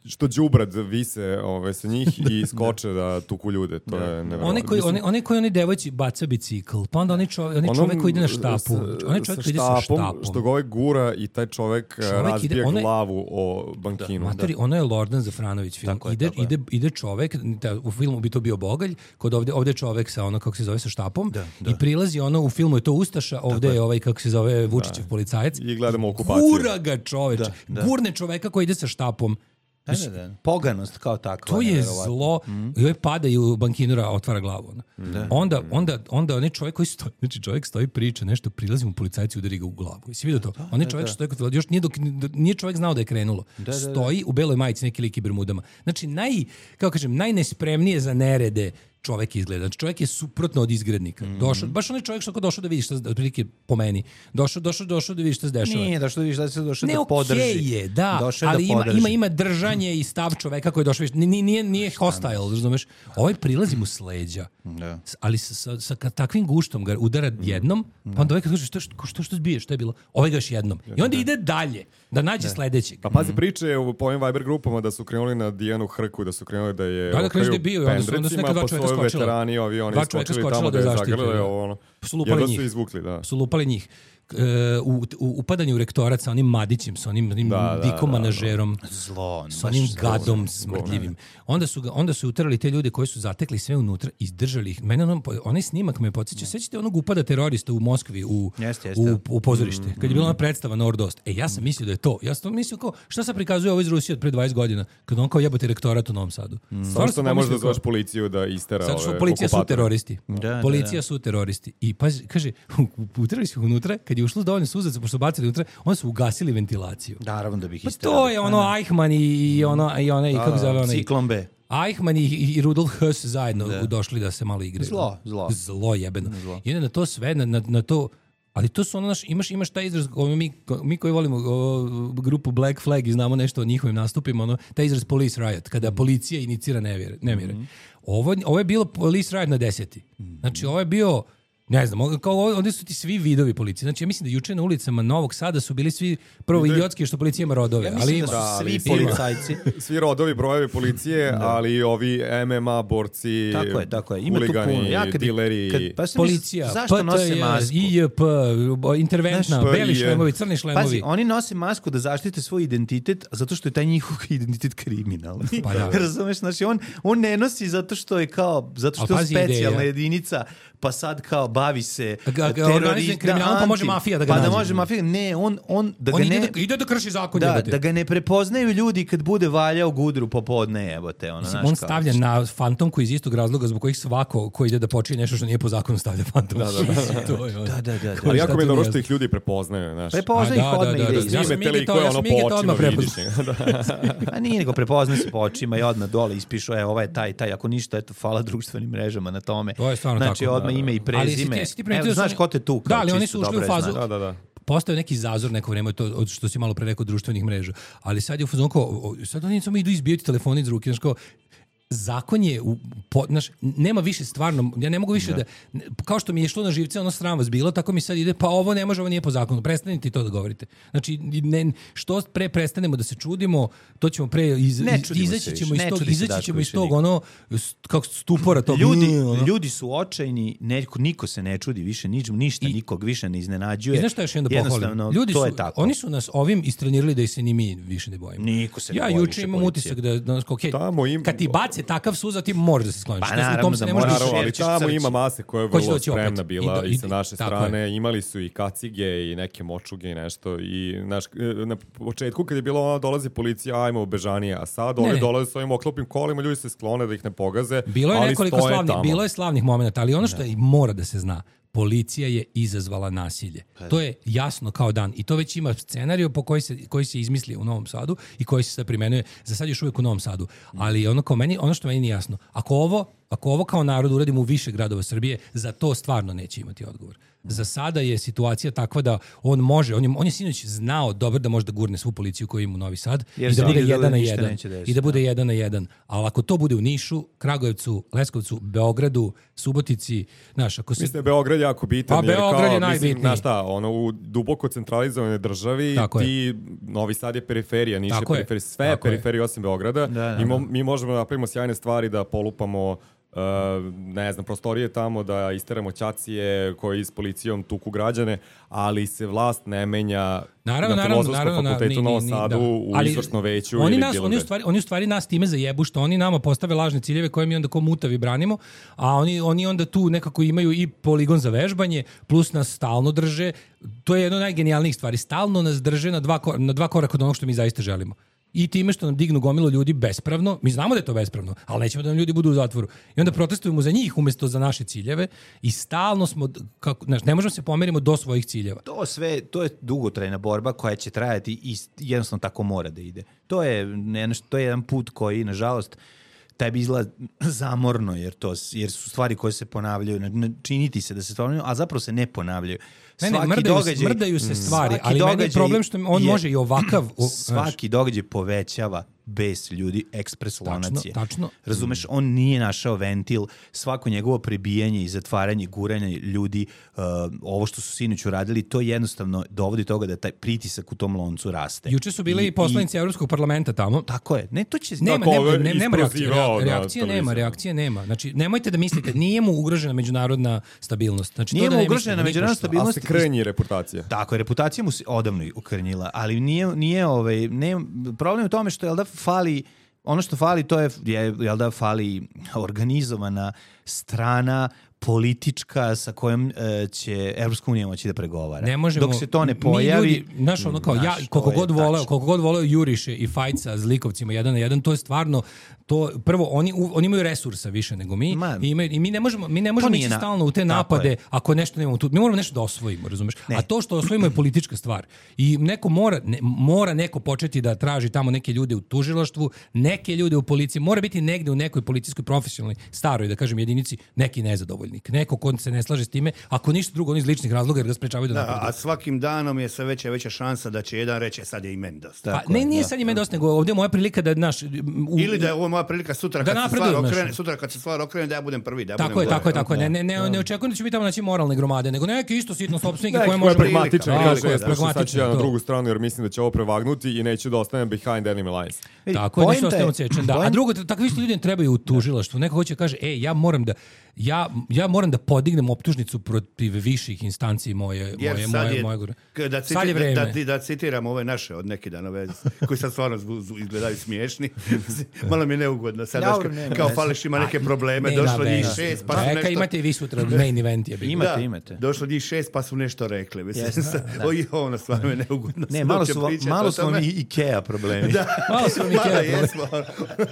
što đubrad vise sa njih i skoče da tuku ljude. To je nevjerojatno. Oni koji oni devojci baca bicikl, pa onda onaj čovek koji ide na štapu. Onaj čovek koji ide sa štapom. Što ga goura i taj čovek razbija glavu o bankinu. Materi, ono je Lordan Zafranović film. Ide čovek, u filmu bi to bio Bogalj, kod ovde čovek sa kako se zove, sa štapom i prilazi u filmu je to Ustaša, ovde je kako se zove Vučićev policajac. I gledamo okupaciju. Gura ga čoveče. Gurne čoveka koji ide sa štapom. Poganost kao takva. To je zlo. I ovaj pada i u bankinura otvara glavu. Onda onaj čovjek koji stoji, znači čovjek stoji priča nešto, prilazi mu policajci, udari ga u glavu. Jesi vidio to? Onaj čovjek što stoji, još nije čovjek znao da je krenulo. Stoji u beloj majici, neki lik i bermudama. Znači najnespremnije za nerede čovjek izgleda. Znači čovjek je suprotno od izgrednika. Došao, baš onaj čovjek što došao da vidi šta, otprilike po meni. Došao da vidi šta se dešava. Nije došao da vidi šta se došao da podrži. Ne, okej je, da, ali ima držanje i stav čoveka koji je došao. Nije hostile, razumeš? Ovaj prilazi mu s leđa. Ali sa takvim guštom ga udara jednom, pa onda ovaj kad kaže što zbiješ, šta je bilo? Ovaj ga još jednom. I onda ide dalje, da nađe sledećeg. Pa pazi priče po ovim Viber grupama da su krenuli na Dijanu Hrku, da su krenuli da je veterani ovi, oni skočili tamo da je zagrljaju, su lupali njih. U upadanju u rektorat sa onim Madićem, sa onim dikomanažerom, sa onim gadom smrdljivim. Onda su utrali te ljude koji su zatekli sve unutra i izdržali ih. Mene onaj snimak me podsjeća. Sećate onog upada terorista u Moskvi u pozorište? Kad je bila ona predstava Nordost. Ja sam mislio da je to. Ja sam mislio kao, šta se prikazuje ovo iz Rusije od pre 20 godina? Kad on kao jebote rektorat u Novom Sadu. Samo što ne možeš da zoveš policiju da istera ove okupatore. Policija su teroristi. Policija su teroristi. I kaže, utrali su unutra, kad je ušlo dovoljno suzaca, pošto su bacili unutra, onda su ugasili ventilaciju. Naravno da bih isterali. To je ono Eichmann i onaj, kako zove onaj... Ciklon B. Eichmann i Rudolf Höss zajedno došli da se malo igraju. Zlo jebeno. I onda na to sve, na to... Ali to su ono imaš taj izraz, mi koji volimo grupu Black Flag i znamo nešto o njihovim nastupima, taj izraz police riot, kada policija inicira nemire. Ovo je bilo police riot na 10. Znači ovo je bio, ne znam, kao ovdje su ti svi vidovi policije. Znači ja mislim da juče na ulicama Novog Sada su bili svi prvo idiotski što policija ima rodove. Ja mislim da su svi policajci. Svi rodovi, brojevi policije, ali ovi MMA borci, tako je. Ima huligani, dileri. Policija, PTS, IJP, interventna, beli šlemovi, crni šlemovi. Pazi, oni nose masku da zaštite svoj identitet, zato što je taj njihov identitet kriminalni. Razumeš? Znači on ne nosi zato što je specijalna jedinica, pa sad kao bavi se terorizam, kriminalom, pa može mafija da ga nađe. Pa da može mafija, ne, on ide da krši zakon. Da ga ne prepoznaju ljudi kad bude valjao gudru popodne, jebote. On stavlja na fantomku iz istog razloga zbog kojih svako ko ide da počini nešto što nije po zakonu stavlja fantomku. Da. Ali jako mi je dobro što ih ljudi prepoznaju, znaš. Prepoznaju ih odmah. Ja sam Mige to odmah prepoznao. A nije nego prepoznaju se po očima i odmah dole ispišu, ovo je taj, ako ništa, eto, hvala društvenim mrežama na tome. To je stvarno tako. Ime i prezime. Evo, znaš ko te tu? Da, ali oni su ušli u fazu. Postao neki zazor neko vreme, to što si malo pre rekao društvenih mreža. Ali sad je u fazonu kao, sad oni samo idu izbijati telefoni iz ruke, znaš kao, zakon je, nema više stvarno, ja ne mogu više da, kao što mi je išlo na živce, ono sram vas bilo, tako mi sad ide, pa ovo ne može, ovo nije po zakonu, prestanite to da govorite. Znači, što pre prestanemo da se čudimo, to ćemo pre, izaći ćemo iz tog, ono, kako stupora tog. Ljudi su očajni, niko se ne čudi više, ništa nikog više ne iznenađuje. I znaš šta još jedno pohvalim? Ljudi su, oni su nas ovim istrenirali da se ni mi više ne bojimo. Niko se ne boji. Ja juče imam utisak da, kad ti baci takav suza, ti možeš da se skloniš. Pa naravno da možeš. Ali tamo ima mase koja je vrlo spremna bila i sa naše strane. Imali su i kacige i neke močuge i nešto. I na početku kad je bilo dolazi policija, ajmo bežanije, a sad oni dolaze s ovim oklopnim kolima, ljudi se sklone da ih ne pogaze. Bilo je slavnih momenata, ali ono što mora da se zna, policija je izazvala nasilje. To je jasno kao dan. I to već ima scenariju po koji se izmisli u Novom Sadu i koji se sad primenuje za sad još uvijek u Novom Sadu. Ali ono što meni nije jasno, ako ovo kao narod uradimo u više gradova Srbije, za to stvarno neće imati odgovor. Za sada je situacija takva da on može, on je sinoć znao dobro da može da gurne svu policiju koju ima u Novi Sad i da bude 1 na 1. I da bude 1 na 1. Ali ako to bude u Nišu, Kragujevcu, Leskovcu, Beogradu, Subotici, znaš, ako se... Mislim, Beograd je jako bitan. Pa Beograd je najbitniji. Znaš šta, u duboko centralizovanoj državi Novi Sad je periferija, Niš je periferija, sve je periferija osim Beograda. Mi možemo da napravimo sjajne stvari, da polupamo ne znam, prostorije tamo, da isteramo ćacije koji s policijom tuku građane, ali se vlast ne menja na Filozofskom fakultetu u Novom Sadu, u izvršnom veću ili bilo gde. Oni u stvari nas time zajebu što oni nama postave lažne ciljeve koje mi onda ko mutavi branimo, a oni onda tu nekako imaju i poligon za vežbanje, plus nas stalno drže. To je jedno od najgenijalnijih stvari. Stalno nas drže na dva koraka od onog što mi zaista želimo. i time što nam dignu gomilu ljudi bespravno, mi znamo da je to bespravno, ali nećemo da nam ljudi budu u zatvoru. I onda protestujemo za njih umjesto za naše ciljeve i stalno smo, ne možemo se pomerimo do svojih ciljeva. To je dugotrajna borba koja će trajati i jednostavno tako mora da ide. To je jedan put koji, nažalost, tebi izgleda zamorno, jer su stvari koje se ponavljaju, činiti se da se ponavljaju, a zapravo se ne ponavljaju. Mrdaju se stvari, ali meni je problem što on može i ovakav... Svaki događaj povećava bes ljudi, ekspres lonacije. Tačno. Razumeš, on nije našao ventil, svako njegovo prebijanje i zatvaranje, guranje ljudi, ovo što su sinoć uradili, to jednostavno dovodi toga da taj pritisak u tom loncu raste. Juče su bili i poslanici Evropskog parlamenta tamo. Tako je. Ne, to će... Nema reakcije nema. Znači, nemojte da mislite, nije mu ugrožena međunarodna stabilnost. Znači, nije mu ugrožena međunarodna stabilnost. Ali se krnji reputacija. Tako je, reputacija mu se odavno ukrnjila, ali nije problem u tome što je da fali, ono što fali to je da fali organizovana strana politička sa kojom će Evropska unija moći da pregovara. Ne možemo, dok se to ne pojavi... Ljudi, koliko god voleo Juriše i Fajca s likovcima 1 na 1, to je stvarno, prvo, oni imaju resursa više nego mi i mi ne možemo ići stalno u te napade ako nešto nemamo tu. Mi moramo nešto da osvojimo, razumeš? Ne. A to što osvojimo je politička stvar. I neko mora neko početi da traži tamo neke ljude u tužilaštvu, neke ljude u policiji, mora biti negde u nekoj policijskoj profesionalnoj, staroj, da kažem, jedinici, neki nezadovoljnik. Neko ko se ne slaže s time, ako ništa drugo, oni iz ličnih razloga jer ga sprečavaju da napreduju. A svakim danom je sve veća šansa da će jedan reći sad je i meni dosta. Nije sad i meni dosta, nego ovdje je moja prilika da ili da je ovo moja prilika sutra kad se stvar okrene da ja budem prvi. Tako je. Ne očekujem da će biti tamo naći moralne gromade, nego neki isto sitno sopstvenike koje može pragmatične. Sad ću ja na drugu stranu jer mislim da će ovo prevagnuti i neću da ostanem behind enemy lines. Tako je, neću da ostanem odsečen. A drugo, takvi isto ljudi trebaju u tužilaštvu. Neko hoće kaže, ja moram da podignem optužnicu protiv viših instanci moje da citiram ove naše od neki danove koji sad stvarno izgledaju smiješni. Malo mi je neugodno sad kao Faleš ima neke probleme, došlo njih 6 pa su nešto... Imate i vi sutra main event je bilo. Imate. Došlo njih 6 pa su nešto rekli. Ono stvarno je neugodno. Ne, malo su vam i Ikea problemi. Malo su vam Ikea problemi.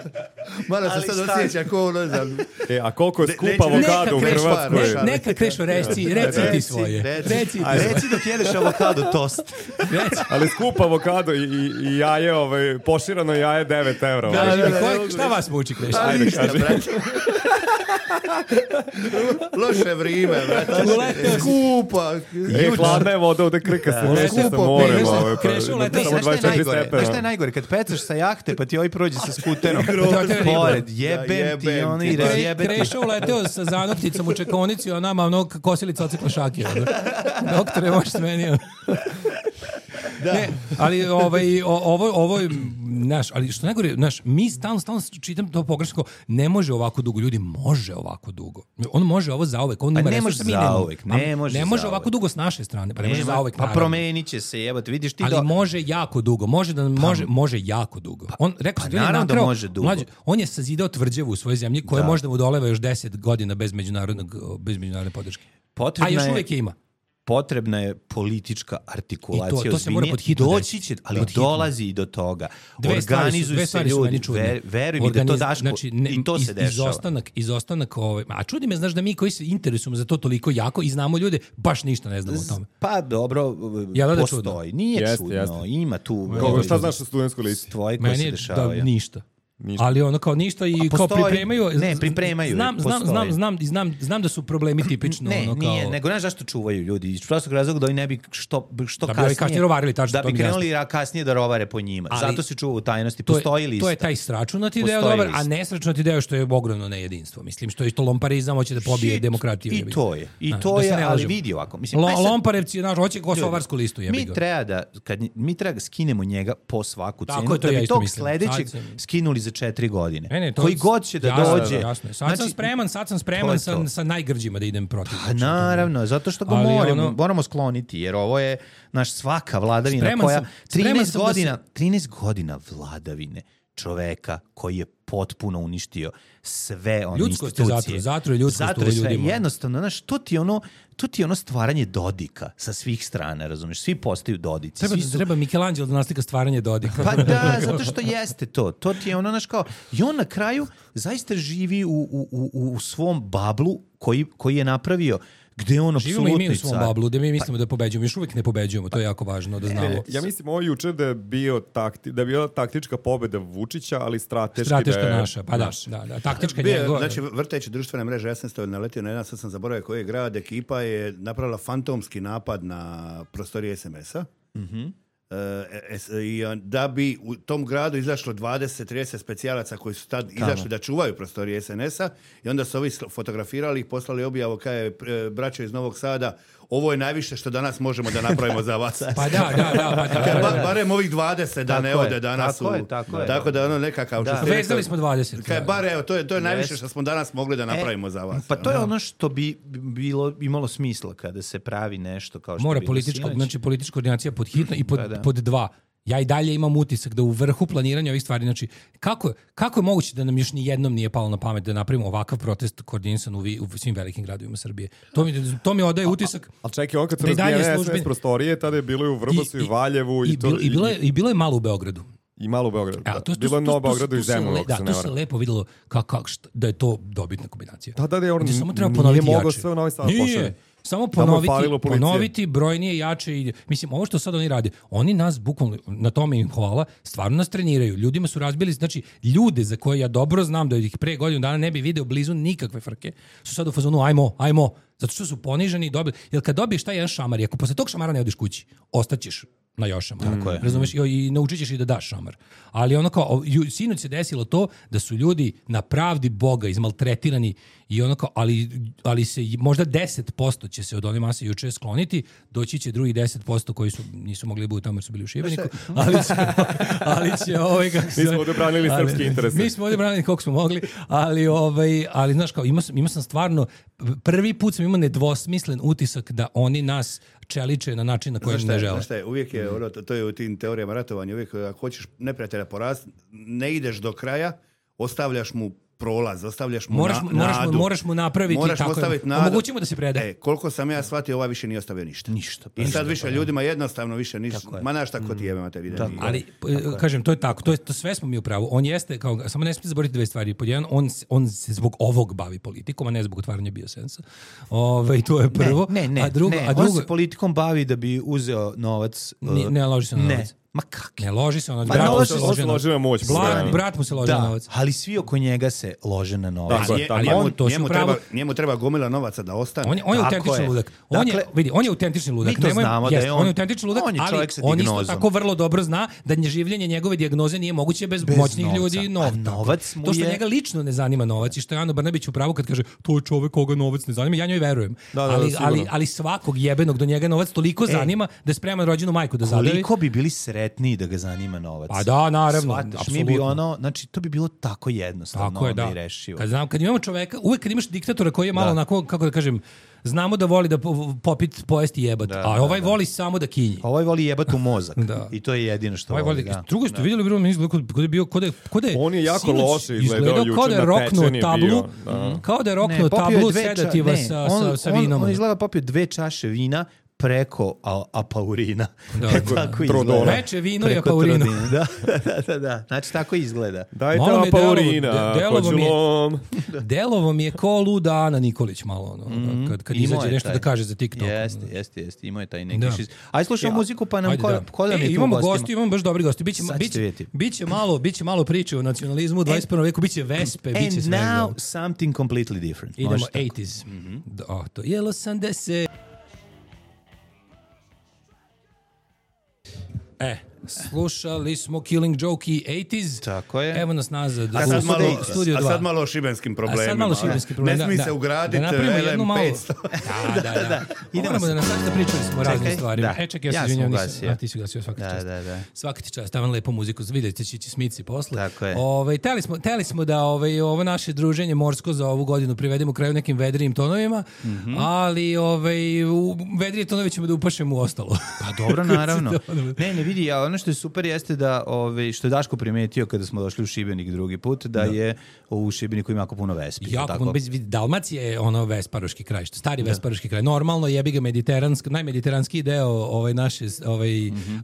Malo se sad osjeća ko ono znam. A koliko je skupa avokado u Hrvatskoj? Neka Krešo, reci ti svoje. Reci dok jedeš avokado tost. Ali skup avokado i jaje, poširano jaje 9 €. Šta vas muči, Krešo? Ajde, kaži. Loše vrijeme, brate. Skupa. Hladna je voda, ovdje krka se meša sa morem. Krešo ulete. Šta je najgore? Kad pecaš sa jahte, pa ti ovaj prođe sa skuterom. Pored, jebem ti, ono i razjebeti. Krešo uleteo sa zanokticom u čekonici, a nama mnogo kosilica ocikla šakija. Doktore, možeš s meni. Ne, ali ovo je ali što najgore, mi stalno čitam to pogrešno, ne može ovako dugo, ljudi može ovako dugo. On može ovo zauvek, on ima resursa, ne može ovako dugo s naše strane, pa ne može zauvek. Pa promenit će se, jebote, vidiš ti. Ali može jako dugo, može jako dugo. On rekao naravno da može dugo. On je sazidao tvrđavu u svojoj zemlji koja može da mu doleva još 10 godina bez međunarodne podrške. A još uvijek je ima. Potrebna je politička artikulacija. To se mora pod hitno doći će, ali dolazi i do toga. Organizuju se ljudi, veruj mi da to daš, i to se dešava. Izostanak a čudi me, znaš da mi koji se interesujemo za to toliko jako i znamo ljude, baš ništa ne znamo o tome. Pa dobro, postoji. Nije čudno, ima tu. Šta znaš o studentsku listi? Tvoje koje se dešavaju. Ništa. Ali ono kao ništa i kao pripremaju. Ne, pripremaju. Znam da su problemi tipično. Ne, nije, nego znaš zašto čuvaju ljudi. Iz prostog razloga da oni ne bi što kasnije rovarili, tačno, da bi krenuli kasnije da rovare po njima. Zato se čuva u tajnosti. Postoji lista. To je taj sračunati deo dobar, a nesračunati deo što je ogromno nejedinstvo. Mislim, što je to lomparizam, hoće da pobije demokratiju. I to je, ali vidi ovako. Lomparevci, hoće kosovarsku listu. Mi treba da skinemo njega po svaku cenu, da bi tog sledećeg skinuli za 4 godine. Koji god će da dođe. Sad sam spreman sa najgrđima da idem protiv. Naravno, zato što ga moramo skloniti, jer ovo je naš svaka vladavina koja 13 godina vladavine čoveka koji je potpuno uništio sve one ljudskost institucije. Zato je ljudskost u ljudima. Jednostavno, znaš, to ti je ono stvaranje Dodika sa svih strana, razumiješ? Svi postaju Dodici. Treba Michelangelo da naslika stvaranje Dodika. Pa da, zato što jeste to. To ti je ono, znaš, kao, i on na kraju zaista živi u svom bablu koji je napravio, gde je on apsolutno živimo i mi u svom bablu, gde mi mislimo da pobeđujemo. Još uvijek ne pobeđujemo, to je jako važno da znamo. Ja mislim ovo juče da je bila taktička pobjeda Vučića, ali strateška naša, pa da, taktička njegova. Znači, vrteći društvene mreže, ja sam naletio na jedan, sad sam zaboravio koji je grad, ekipa je napravila fantomski napad na prostorije SMS-a. I da bi u tom gradu izašlo 20-30 specijalaca koji su tad izašli da čuvaju prostorije SNS-a i onda su ovi fotografirali i poslali objavu kao je braćo iz Novog Sada, ovo je najviše što danas možemo da napravimo za vas. Pa da. Barem ovih 20 da ne ode danas. Tako da ono nekakav... Vezali smo 20. Bar evo, to je najviše što smo danas mogli da napravimo za vas. Pa to je ono što bi imalo smisla kada se pravi nešto kao što mora bilo sinoć. Znači politička koordinacija pod hitno i pod dva. Ja i dalje imam utisak da u vrhu planiranja ovih stvari, znači, kako je moguće da nam još ni jednom nije palo na pamet da napravimo ovakav protest koordinisan u svim velikim gradovima Srbije? To mi odaje utisak. Ali čekaj, on kad se razbijene SNS prostorije, tada je bilo i u Vrbasu i Valjevu. I bilo je malo u Beogradu. I malo u Beogradu. Bilo je Novo Beogradu i Zemunu. Da, to se lepo videlo da je to dobitna kombinacija. Da, on nije mogao sve u Novi Sad pošalje. Samo ponoviti brojnije, jače i mislim ovo što sad oni rade, oni nas bukvalno, na tome im hvala, stvarno nas treniraju. Ljudima su razbili, znači ljude za koje ja dobro znam da ih pre godinu dana ne bi video blizu nikakve frke, su sad u fazonu ajmo, zato što su poniženi i dobili. Jer kad dobiješ taj jedan šamar i ako posle tog šamara ne odeš kući, ostaćeš na još šamar. Razumeš? I naučit ćeš i da daš šamar. Ali ono kao, sinoć se desilo to da su ljudi na pravdi Boga izmaltretirani i ono kao, ali se možda 10% će se od one mase juče skloniti, doći će drugi 10% koji nisu mogli biti tamo jer su bili u Šibeniku, ali će mi smo ovdje branili srpski interese. Mi smo ovdje branili koliko smo mogli, ali znaš kao, imao sam stvarno, prvi put sam imao nedvosmislen utisak da oni nas čeliče na način na koji ne žele. Znaš šta je, uvijek je, to je u tim teorijama ratovanja, uvijek ako hoćeš neprijatelja poraziti, ne ideš do kraja, ostavljaš mu prolaz, ostavljaš mu nadu. Moraš mu napraviti tako. Omogućimo da se preda. Koliko sam ja shvatio, ovaj više nije ostavio ništa. I sad više ljudima jednostavno više ništa. Ma znaš tako ti jebe te vide. Ali, kažem, to je tako. To sve smo mi u pravu. On jeste, samo ne smijete zaboraviti dve stvari. Pod jedan, on se zbog ovog bavi politikom, a ne zbog otvaranja biosensa. To je prvo. Ne. On se politikom bavi da bi uzeo novac. Ne loži se na novac. Ma kak? Ne loži se on, brat mu se loži na novac. Ali svi oko njega se lože na novac. Njemu treba gomila novaca da ostane. On je autentični ludak. On je autentični ludak. Mi to znamo da je on. On je autentični ludak, ali on isto tako vrlo dobro zna da življenje njegove dijagnoze nije moguće bez moćnih ljudi i novca. To što njega lično ne zanima novac i što je Ano Brnabić u pravu kad kaže to je čovek koga novac ne zanima, ja njoj verujem. Ali svakog jebenog do njega novac toliko zanima da je spreman rođenu majku da zadavi. Koliko bi bili sretniji da ga zanima novac. A da, naravno. Apsolutno. Znači, to bi bilo tako jednostavno i rešivo. Kad imamo čoveka, uvek kad imaš diktatora koji je malo onako, kako da kažem, znamo da voli da pojesti jebat, a ovaj voli samo da kinji. Ovaj voli jebat u mozak. I to je jedino što voli. Drugo ste vidjeli, bilo mi izgleda kod je on je jako loše izgledao juče na pečenje bio. Kao da je roknuo tablu sedativa sa vinom. On izgleda popio 2 čaše vina preko apaurina. Tako izgleda. Reče vino i apaurino. Da. Znači, tako izgleda. Dajte apaurina, delovo mi je ko luda Ana Nikolić malo, kad izađe nešto da kaže za TikTok. Jeste. Imao je taj neki šiz. Aj, slušamo muziku, pa nam ko da mi je tu imamo gosti, imamo baš dobri gosti. Biće malo priče o nacionalizmu u 21. veku, biće Vespe, biće svega. And now something completely different. Idemo 80s. To je 80. Slušali smo Killing Joke i 80s. Tako je. Evo nas nazad u Studio 2. A sad malo o šibenskim problemima. Ne smije se ugraditi LM500. Da. Idemo da nastaviti da pričali smo o raznim stvarima. Čekaj, ja se izvinjam, ti si ugasio svaka čast. Svaka ti čast, stavim lepo muziku, vidite će smici posle. Tako je. Teli smo da ovo naše druženje morsko za ovu godinu privedemo kraju nekim vedrijim tonovima, ali u vedrije tonove ćemo da upašemo u ostalo. Pa dobro, naravno. Ne vidi, ja ono ono što je super jeste da, što je Daško primetio kada smo došli u Šibenik drugi put, da je u Šibeniku ima jako puno vespi. Jako puno, Dalmacija je ono vesparoški kraj, stari vesparoški kraj. Normalno jebi ga najmediteranski deo naše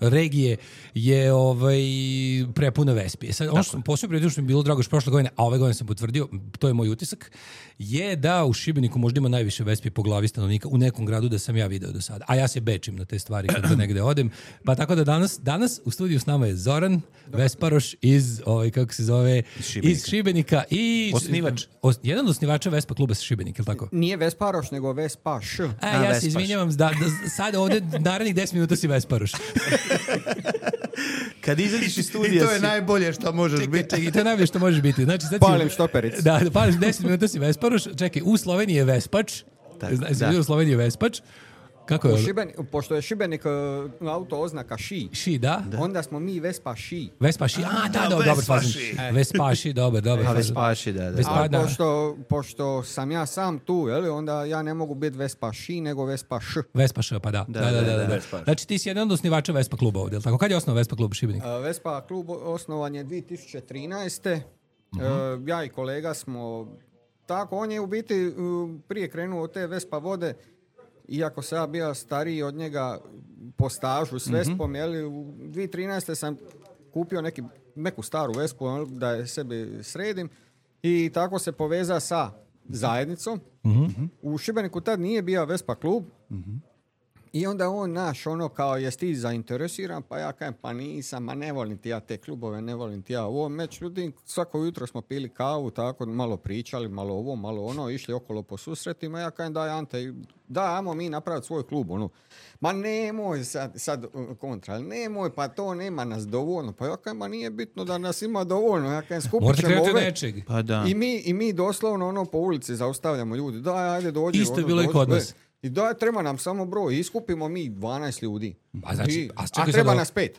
regije je prepuno vespi. Sad, ono što sam posebno primetio što mi je bilo drago što prošle godine, a ove godine sam potvrdio, to je moj utisak, je da u Šibeniku možda ima najviše vespi po glavi stanovnika u nekom gradu da sam ja video do sada. A ja se bečim na te stvari kad negde odem. Pa tako da danas u studiju s nama je Zoran Vesparoš iz iz Šibenika i osnivač. Jedan od osnivača Vespa kluba sa Šibenika, je li tako? Nije Vesparoš, nego Vespaš. Ja se izvinjavam, sad ovde narednih 10 minuta si Vesparoš. Kad izađeš iz studija i to je najbolje što možeš biti. I to je najbolje što možeš biti. Znači, palim štopericu. Da, pališ 10 minuta si Vesparoš. Čekaj, u Sloveniji je Vespač. U Sloveniji je Vespač. Kako je? Pošto je Šibenik auto oznaka ši. Ši, da. Onda smo mi Vespaši. Vespaši, dobro fazim. Vespaši, dobro. Vespaši, da. A pošto sam ja sam tu, onda ja ne mogu biti Vespaši, nego Vespaš. Vespaš, pa da. Znači ti si jedan od osnivača Vespa kluba ovdje, tako? Kad je osnovan Vespa klub Šibenik? Vespa klub osnovan je 2013. Ja i kolega smo tako, on je u biti prije krenuo od te Vespa vode. Iako sam ja bio stariji od njega po stažu s Vespom, u 2013. sam kupio neku staru Vespu da je sebi sredim i tako se poveza sa zajednicom. U Šibeniku tad nije bio Vespa klub i onda on kao jesi ti zainteresiran, pa ja kažem pa nisam, ne volim ti ja te klubove, ne volim ti ja ovo. Međutim, svako jutro smo pili kavu, tako malo pričali, malo ovo, malo ono, išli okolo po susretima, ja kažem daj Ante, ajmo mi napraviti svoj klub, ma nemoj sad kontra, nemoj, pa to nema nas dovoljno, pa ja kažem, ma nije bitno da nas ima dovoljno, ja kažem, skupit ćemo ove, pa da. I mi doslovno po ulici zaustavljamo ljudi, daj, ajde dođi. Isto je bilo i kod nas. I treba nam samo broj, iskupimo mi 12 ljudi, a treba nas 5.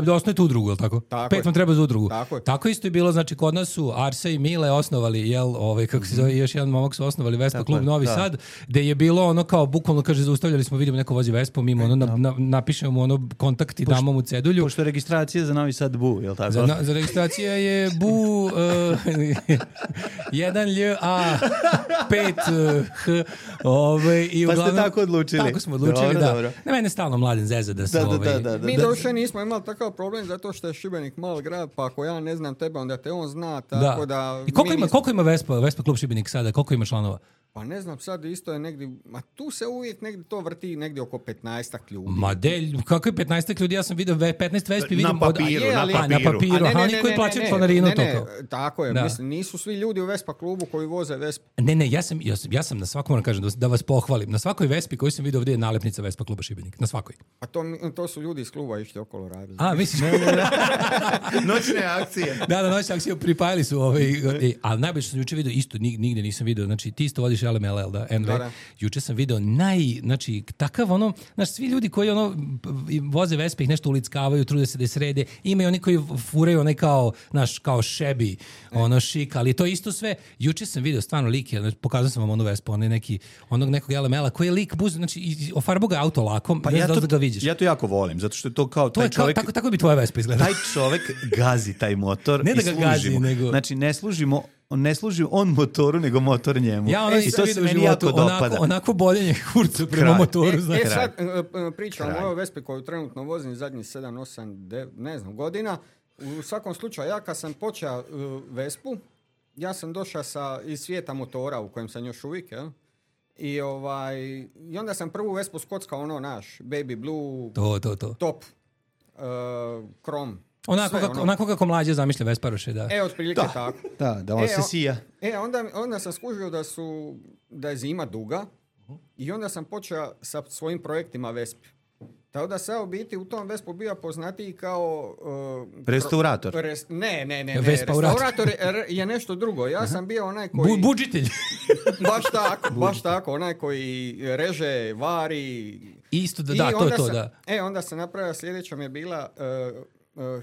Da osnovite udrugu, je li tako? 5 vam treba za udrugu. Tako isto je bilo, znači kod nas su Arsa i Mile osnovali, kako se zove, još jedan momak su osnovali Vespa klub Novi Sad, gde je bilo kao, bukvalno kaže, zaustavljali smo, vidimo neko vozi Vespu, mimo napišemo kontakt i damo mu cedulju. Pošto je registracija za Novi Sad Bu, je li tako? Za registracija je Bu 1LA 5H. Pa ste tako odlučili? Tako smo odlučili, da. Ne, mene stalno mladen zeza da se mi došli nismo imali takav problem zato što je Šibenik mal grad, pa ako ja ne znam tebe, onda te on zna, tako da... I koliko ima Vespa klub Šibenik sada? Koliko ima članova? Pa ne znam, sad isto je negdje, tu se uvijek negdje to vrti negdje oko 15 ljudi. Kako je 15 ljudi? Ja sam vidio 15 Vespi, vidim... Na papiru. Na papiru, oni koji plaćaju članarinu to. Tako je, mislim, nisu svi ljudi u Vespa klubu koji voze Vespa. Ne, ja sam na svakom, moram kažem, da vas pohvalim, na svakoj Vespi koju sam vidio ovdje je nalepnica Vespa kluba Šibenik, na svakoj. A to su ljudi iz kluba išli okolo radili. Misliš? Noćne akcije. Da, noćne akcije pripajali su ali najbolje što sam juče vidio, isto nigde nisam vidio, znači ti isto vodiš LMLL, da, NV. Da. Juče sam video znači, takav svi ljudi koji voze Vespe, ih nešto ulickavaju, trude se da je srede, imaju oni koji furaju kao šebi, šik, ali to isto sve. Juče sam video stvarno lik, pokazao sam vam onu Vespu, onog nekog LML-a, koji je lik buz, znači, ofarbo ga auto lakom, pa da ga vidiš. Ja to jako volim, zato što je to kao taj čovjek... Tako bi tvoja Vespa izgledala. Taj čovjek gazi taj motor ne i da ga gazi, nego... Znači, ne služi on motoru, nego motor njemu. I to se meni jako dopada. Onako boljenje kurca prema motoru. Sad pričam o ovoj Vespi koju trenutno vozim zadnjih 7, 8, 9, ne znam, godina. U svakom slučaju, ja kad sam počeo Vespu, ja sam došao iz svijeta motora u kojem sam još uvijek, I onda sam prvu Vespu skockao Baby Blue, to. Top, Chrome. Onako kako mlađe zamišlja Vesparoše, da. Otprilike tako. Da on se sija. Onda sam skužio da je zima duga i onda sam počeo sa svojim projektima Vespi. Tako da sam u biti u tom Vespu bio poznatiji kao... restaurator. Ne. Restaurator je nešto drugo. Ja sam bio onaj koji... Budžitelj. Baš tako. Onaj koji reže, vari... Isto, da, to, da. Onda sam napravio, sljedeća mi je bila...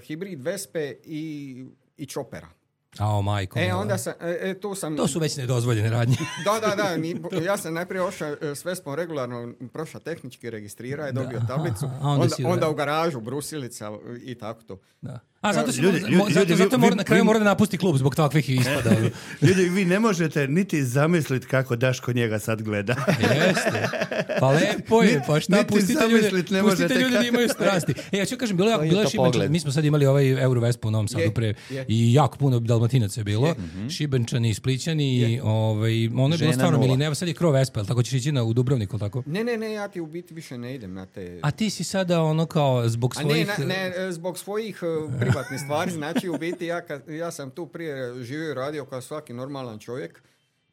hibrid Vespe i Chopera. Ao, majko. Onda sam, To su već nedozvoljene radnje. Da, ja sam najprije ošao s Vespom regularno, prošao tehnički, registrirao, dobio tablicu, onda u garažu, brusilica i tako to. Da. Zato na kraju mora da napusti klub zbog takvih ispada. Ljudi, vi ne možete niti zamisliti kako Daško njega sad gleda. Jeste. Pa lepo je, pa šta, pustite ljudi da imaju strasti. Ja ću kažem, bilo je Šibenčani, mi smo sad imali ovaj Eurovespu u Novom Sadu pre i jako puno Dalmatinaca je bilo, Šibenčani, Splićani, ono je bilo stvarno milineva, sad je Kro Vespa, tako ćeš ići u Dubrovniku, tako? Ne, ja ti u biti više ne idem na te... A ti si sada ono kao zbog svojih... zbog svojih privatnih stvari, znači u biti ja sam tu prije živio i radio kao svaki normalan čovjek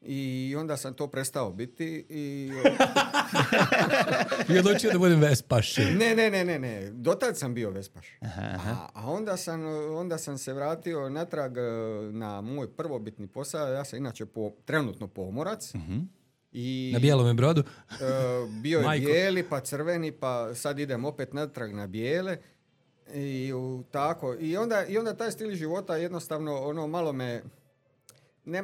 i onda sam to prestao biti i... I odlučio da budem vespaš. Ne, dotad sam bio vespaš. A onda sam se vratio natrag na moj prvobitni posao, ja sam inače trenutno pomorac. I, na bijelome brodu? Bio je bijeli, pa crveni, pa sad idem opet natrag na bijele. I onda taj stil života jednostavno malo me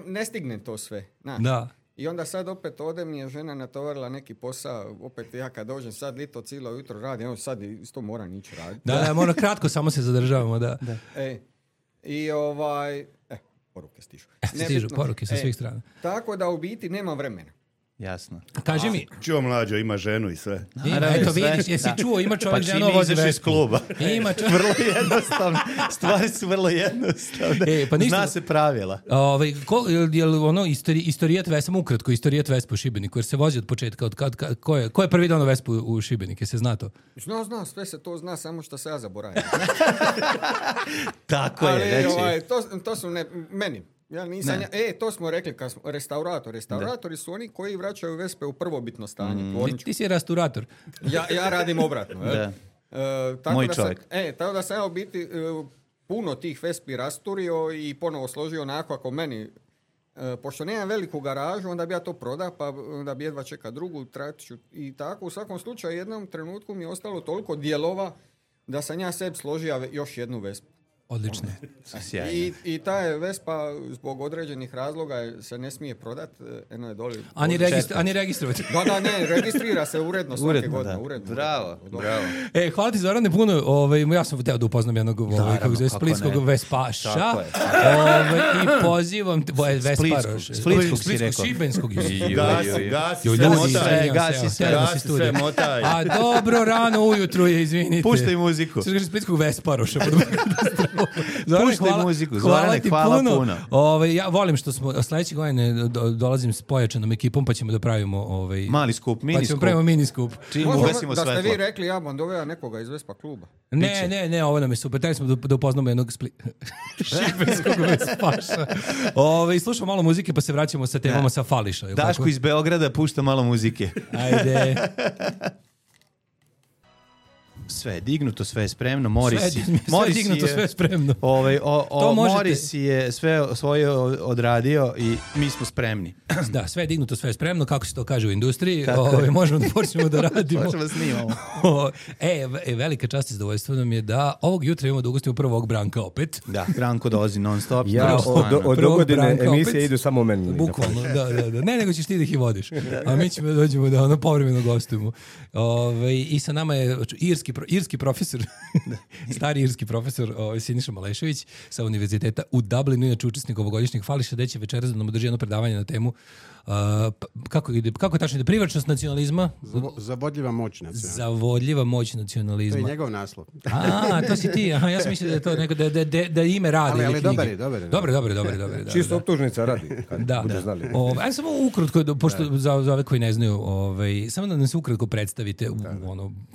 ne stignem to sve. Da. I onda sad opet ode mi je žena natovarila neki posao, opet ja kad dođem sad lito cijelo jutro radim, sad isto moram ići raditi. Da, moram kratko, samo se zadržavamo, da. I poruke stižu. Stižu poruke sa svih strana. Tako da u biti nema vremena. Jasno. Kaži mi. Čuo mlađo, ima ženu i sve. Eto vidiš, jesi čuo, ima čovjek ženu, vozi iz kluba. Ima čovjek. Vrlo jednostavno. Stvari su vrlo jednostavne. Zna se pravila. Je li ono istorijat Vespa, samo ukratko, istorijat Vespa u Šibeniku, jer se vozi od početka, ko je prvi donao Vespu u Šibenike, se zna to? Zna, sve se to zna, samo što se ja zaboravim. Tako je, reći. To su meni. Ja nisam, to smo rekli, restauratori su oni koji vraćaju Vespe u prvobitno stanje. Ti si restaurator. Ja radim obratno. Moj čovjek. Tako da sam ja u biti puno tih Vespi rasturio i ponovo složio onako ako meni, pošto nemam veliku garažu, onda bi ja to prodao, pa onda bi jedva čeka drugu traću i tako. U svakom slučaju jednom trenutku mi je ostalo toliko dijelova da sam ja sebi složio još jednu Vespu. Odlično. I ta je Vespa zbog određenih razloga se ne smije prodati. Eno je doli. Ani registrovati. Da, ne, registrira se uredno svake godine. Bravo. Hvala ti Zorane puno. Ja sam htio da upoznam jednog splitskog vespaša. I pozivam Splitskog si rekao. Šibenskog. Gasi sve, motaj. A dobro rano ujutru je, izvinite. Puštaj muziku. Splitskog vesparoša. Puštaj muziku, Zorane, hvala puno. Ja volim što smo sledeće godine dolazim s pojačanom ekipom, pa ćemo da pravimo mali skup, mini skup. Pa ćemo pravimo mini skup. Da ste vi rekli, ja vam doveo nekoga iz Vespa kluba. Ne, ovo nam je super. Taj smo da upoznamo jednog šibenskog vespaša. Slušamo malo muzike, pa se vraćamo sa temama sa Fališa. Daško iz Beograda pušta malo muzike. Ajde. Sve je dignuto, sve je spremno. Moris sve je spremno. Moris je sve svoje odradio i mi smo spremni. Da, sve je dignuto, sve je spremno, kako se to kaže u industriji. Možemo da počnemo da radimo. Možemo da snimamo. Velika čast i zadovoljstvo nam je da ovog jutra imamo da ugostimo prvog Branka opet. Da, Branko dolazi non stop. Od dogodine emisije idu samo meni. Bukvalno, da. Ne, nego ćeš ti da ih vodiš. A mi ćemo da dođemo da povremeno gostujemo. I sa nama je irski profesor, stari irski profesor Siniša Malešević sa univerziteta u Dublinu, inače učesnik ovogodišnjeg Fališa, gde će večeras da nam održi jedno predavanje na temu kako je tačno ide privlačnost nacionalizma? Zavodljiva moć nacionalizma. Zavodljiva moć nacionalizma. To je njegov naslov. To si ti. Ja sam mislio da je to neko da ime radi. Ali dobar. Čisto optužnica radi. Da. Ajde samo ukratko, pošto za ove koji ne znaju, samo da nam se ukratko predstavite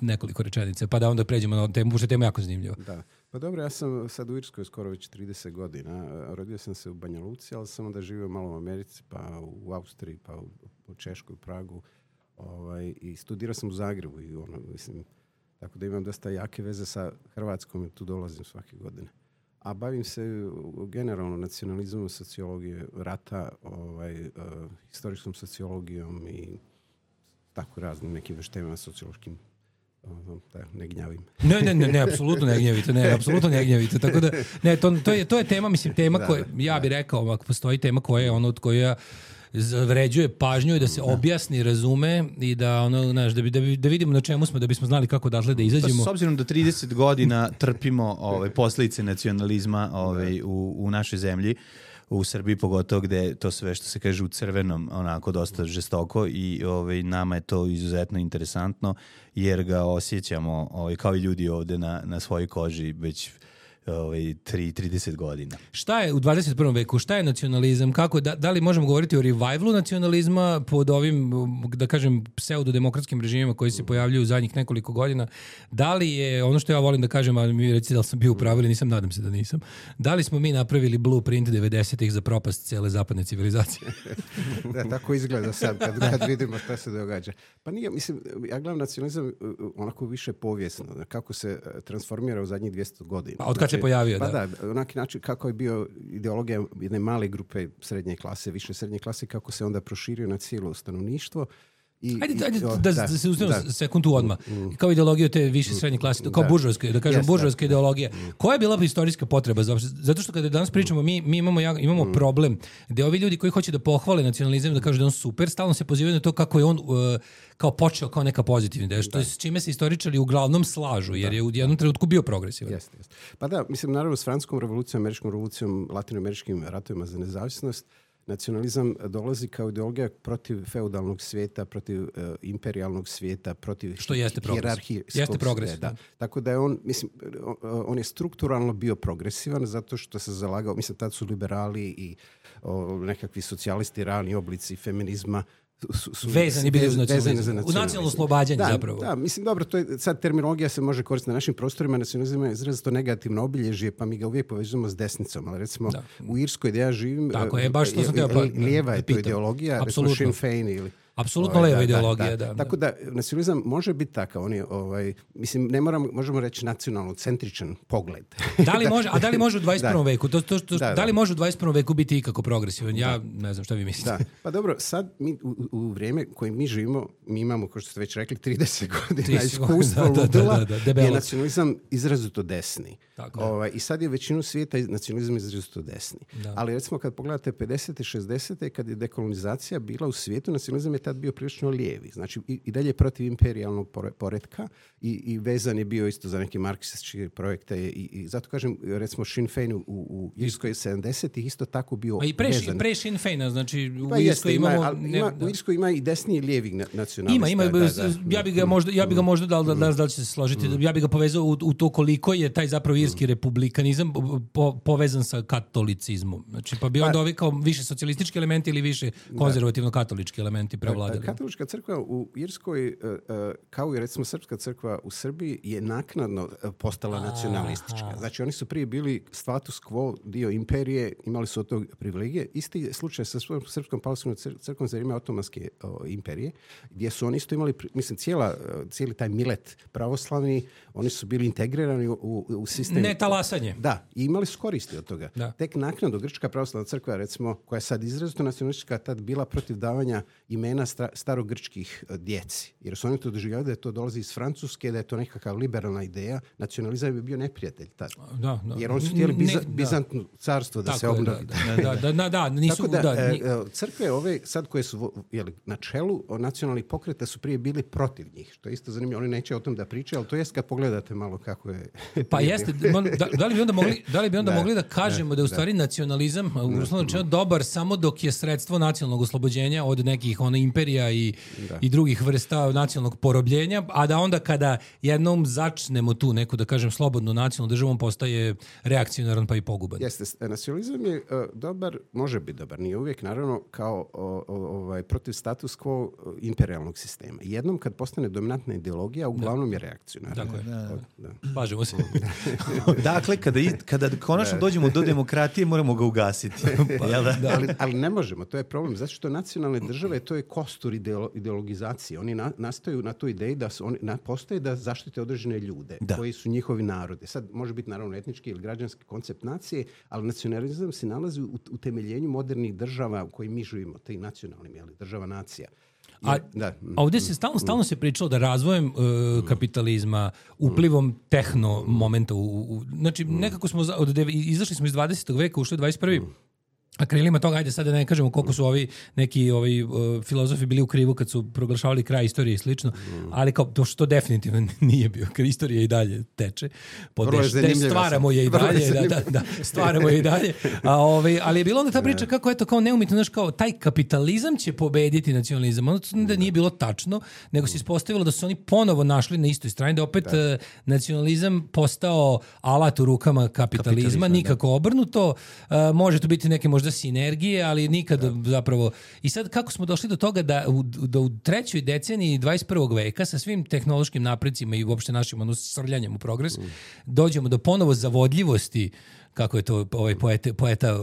nekoliko rečenica, pa da onda pređemo na temu, pošto je tema jako zanimljiva. Da. Pa dobro, ja sam sad u Irskoj skoro već 30 godina. Rodio sam se u Banja Luci, ali sam onda živio malo u Americi, pa u Austriji, pa u Češkoj, Pragu. I studirao sam u Zagrebu i tako da imam dosta jake veze sa Hrvatskom i tu dolazim svake godine. A bavim se generalno nacionalizmom, sociologije rata, historičkom sociologijom i tako raznim nekim veštemima sociološkim ne gnjavim. Ne, apsolutno ne gnjavite, tako da, ne, to je tema, mislim, tema koja, ja bih rekao, ako postoji tema koja je ono od koja zavređuje pažnju i da se objasni, razume i da ono, znaš, da vidimo na čemu smo, da bismo znali kako odatle da izađemo. S obzirom da 30 godina trpimo posljedice nacionalizma u našoj zemlji, u Srbiji pogotovo, gde to sve što se kaže u crvenom onako dosta žestoko i nama je to izuzetno interesantno jer ga osjećamo kao i ljudi ovde na svojoj koži već 30 godina. Šta je u 21. veku? Šta je nacionalizam? Kako, da li možemo govoriti o revivalu nacionalizma pod ovim, da kažem, pseudodemokratskim režimima koji se pojavljuju u zadnjih nekoliko godina? Da li je, ono što ja volim da kažem, a mi recite da li sam bio u pravu ili nisam, nadam se da nisam, da li smo mi napravili blueprint 90-ih za propast cijele zapadne civilizacije? Da, tako izgleda sad kad vidimo šta se događa. Pa nije, mislim, ja gledam nacionalizam onako više povijesno, kako se transformira u zadnjih 200 godina. A od kad se pojavio, pa da, onaki način kako je bio ideologija jedne male grupe srednje klase, više srednje klase, kako se onda proširio na cijelo stanovništvo. Ajde da se ustavimo sekundu odmah. Kao ideologija te više srednje klase, kao buržovska, da kažem, buržovska ideologija. Koja je bila istorijska potreba? Zato što kada danas pričamo, mi imamo problem gde ovi ljudi koji hoće da pohvale nacionalizam, da kažu da je on super, stalno se pozivaju na to kako je on kao počeo kao neka pozitivna ideja, što je s čime se istoričari uglavnom slažu, jer je u jednom trenutku bio progresivan. Jeste. Pa da, mislim, naravno s francuskom revolucijom, američkom revolucijom, latinoameričkim ratovima za nezavisnost, nacionalizam dolazi kao ideologija protiv feudalnog svijeta, protiv imperijalnog svijeta, protiv hijerarhije. Jeste progresivan. Da. Tako da je on, mislim, on je strukturalno bio progresivan zato što se zalagao, mislim, tad su liberali i nekakvi socijalisti, rani oblici feminizma su vezani bili za nacionalizam. U nacionalno oslobađanje zapravo. Da, mislim, dobro, to je sad terminologija se može koristiti na našim prostorima, nacionalizam je izrazito negativno obilježje, pa mi ga uvijek povezujemo s desnicom, ali recimo u Irskoj gdje ja živim, lijeva je to ideologija, recimo Sinn Féin ili... Apsolutno leva ideologija, da. Tako da nacionalizam može biti takav, on je, mislim, ne možemo reći nacionalno-centričan pogled. Da li može u 21. veku? Da li može u 21. veku biti ikako progresivan? Ja ne znam šta vi mislite. Da. Pa dobro, sad mi u vrijeme koje mi živimo, mi imamo, kao što ste već rekli, 30 godina iskustva ludila, je nacionalizam izrazito desni. I sad je većinu svijeta nacionalizam izrazito desni. Da. Ali recimo kad pogledate 50. 60. kad je dekolonizacija bila u svijetu, nacionalizam je tad bio prilično lijevi. Znači i dalje protiv imperijalnog poretka i vezan je bio isto za neke marksističke projekte i zato kažem, recimo Sinn Féin u Irskoj 70-ih isto tako bio vezan. Pre Sinn Féina, znači u Irskoj imamo... U Irskoj ima i desni i lijevi nacionalista. Ima. Ja bi ga možda da li će se složiti, ja bi ga povezao u to koliko je taj zapravo irski republikanizam povezan sa katolicizmom. Znači pa bi onda ovi kao više socijalistički elementi ili više konzervativno-katolički elementi prevladali. Katolička crkva u Irskoj, kao i recimo srpska crkva u Srbiji, je naknadno postala nacionalistička. Znači oni su prije bili status quo, dio imperije, imali su od tog privilegije. Isti slučaj sa srpskom pravoslavnom crkvom za vrijeme Otomanske imperije, gdje su oni isto imali, mislim, cijeli taj milet pravoslavni, oni su bili integrirani u sistem. Ne talasanje. Da, i imali su koristi od toga. Da. Tek naknadno Grčka pravoslavna crkva, recimo, koja je sad izrazito nacionalistička, tad bila protiv davanja imena starogrčkih djeci. Jer su oni to doživljavali da je to dolazi iz Francuske, da je to nekakav liberalna ideja. Nacionalizam je bio neprijatelj tad. Da. Jer oni su htjeli Bizantno carstvo da se obnovi. Crkve ove, sad koje su na čelu nacionalnih pokreta, su prije bili protiv njih. Što je isto zanimljivo. Oni neće o tom da pričaju, ali to jest kad pogledate malo kako je... Pa jeste. Da li bi onda mogli da kažemo da je u stvari nacionalizam dobar samo dok je sredstvo nacionalnog oslobođenja od nekih imperija i drugih vrsta nacionalnog porobljenja, a da onda kada jednom začnemo tu neku, da kažem, slobodnu nacionalnu državu, on postaje reakcionaran pa i poguban. Jeste. Nacionalizam je dobar, može biti dobar, nije uvijek, naravno, kao protiv status quo imperijalnog sistema. Jednom kad postane dominantna ideologija, uglavnom je reakcionarna. Dakle, bažemo se. Dakle, kada konačno dođemo do demokratije, moramo ga ugasiti. Ali ne možemo, to je problem. Zato što nacionalne države, to je kostur ideologizacije. Oni nastaju na toj ideji da oni postoje da zaštite određene ljude koji su njihovi narodi. Sad može biti naravno etnički ili građanski koncept nacije, ali nacionalizam se nalazi u utemeljenju modernih država u kojim mi živimo, taj nacionalnim, država nacija. A ovdje se stalno se pričalo da razvojem kapitalizma, uplivom tehno momenta, znači nekako smo izašli smo iz 20. veka, ušli u 21. A krilima toga, ajde sad da ne kažemo koliko su neki filozofi bili u krivu kad su proglašavali kraj istorije i slično, ali kao to što definitivno nije bio, kad istorija i dalje teče, stvaramo je i dalje, stvaramo je i dalje, ali je bilo onda ta priča kako eto kao neumitno, znaš, kao taj kapitalizam će pobediti nacionalizam, ono da nije bilo tačno, nego se ispostavilo da su oni ponovo našli na istoj strani, da opet nacionalizam postao alat u rukama kapitalizma, nikako obrnuto, može to biti neke možda sinergije, ali nikad zapravo. I sad kako smo došli do toga da u trećoj deceniji 21. veka sa svim tehnološkim napredcima i uopšte našim srljanjem u progres dođemo do ponovo zavodljivosti, kako je to poeta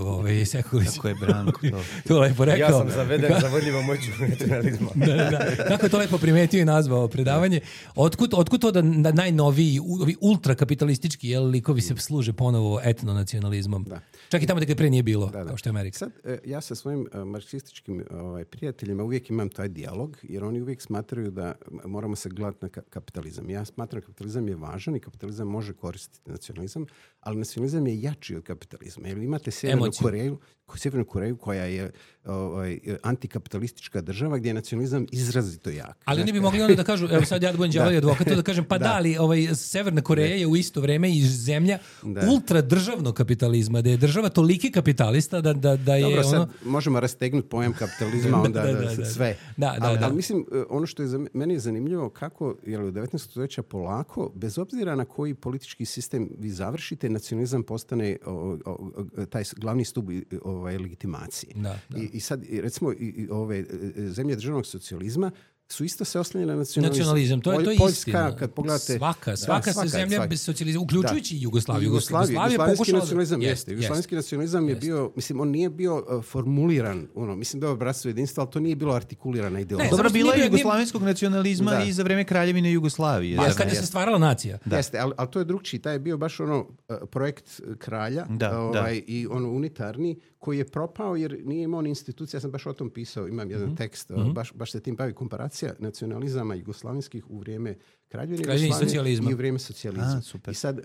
Sekulić. Kako je Branko to lepo rekao. Ja sam zaveden zavodljivom moću nacionalizma. Kako je to lepo primetio i nazvao predavanje. Otkud to da najnoviji, ultrakapitalistički likovi se služe ponovo etnonacionalizmom? Čak i tamo da ga pre nije bilo, kao što je Amerika. Sad, ja sa svojim marksističkim prijateljima uvijek imam taj dijalog, jer oni uvijek smatraju da moramo se gledati na kapitalizam. Ja smatram da kapitalizam je važan i kapitalizam može koristiti nacionalizam, ali nacionalizam je jači od kapitalizma. Jer imate Sjevernu Koreju koja je antikapitalistička država gdje je nacionalizam izrazito jak. Ali oni bi mogli onda da kažu, evo sad ja da budem đavolji advokat, da kažem, pa ali Severna Koreja je u isto vrijeme i zemlja ultradržavnog kapitalizma, da je država toliki kapitalista da je dobro, sad možemo rastegnuti pojam kapitalizma, onda sve. Ali mislim, ono što je za meni zanimljivo, kako je u 19. stoljeća polako, bez obzira na koji politički sistem vi završite, nacionalizam postane taj glavni stup legitimacije. I sad, recimo, ove zemlje državnog socijalizma su isto se oslanjene na nacionalizam. To je Poljska, kad pogledate... Svaka se zemlja bez socijalizma, uključujući Jugoslaviju. Jugoslavijski nacionalizam jeste. Jugoslavijski nacionalizam je bio, mislim, on nije bio formuliran, mislim da je obrazstvo jedinstva, ali to nije bilo artikulirana ideologija. Dobro, bilo je jugoslavijskog nacionalizma i za vreme Kraljevine Jugoslavije. Kad je se stvarala nacija. Jeste, ali to je drugčiji. Taj je bio baš projekt kralja i unitarni, koji je propao jer nije imao ni institucija. Ja sam baš o tom pisao, imam jedan tekst, baš se tim bavi, komparacija nacionalizama jugoslavenskih u vrijeme Kraljevine Jugoslavije i u vrijeme socijalizma. I sad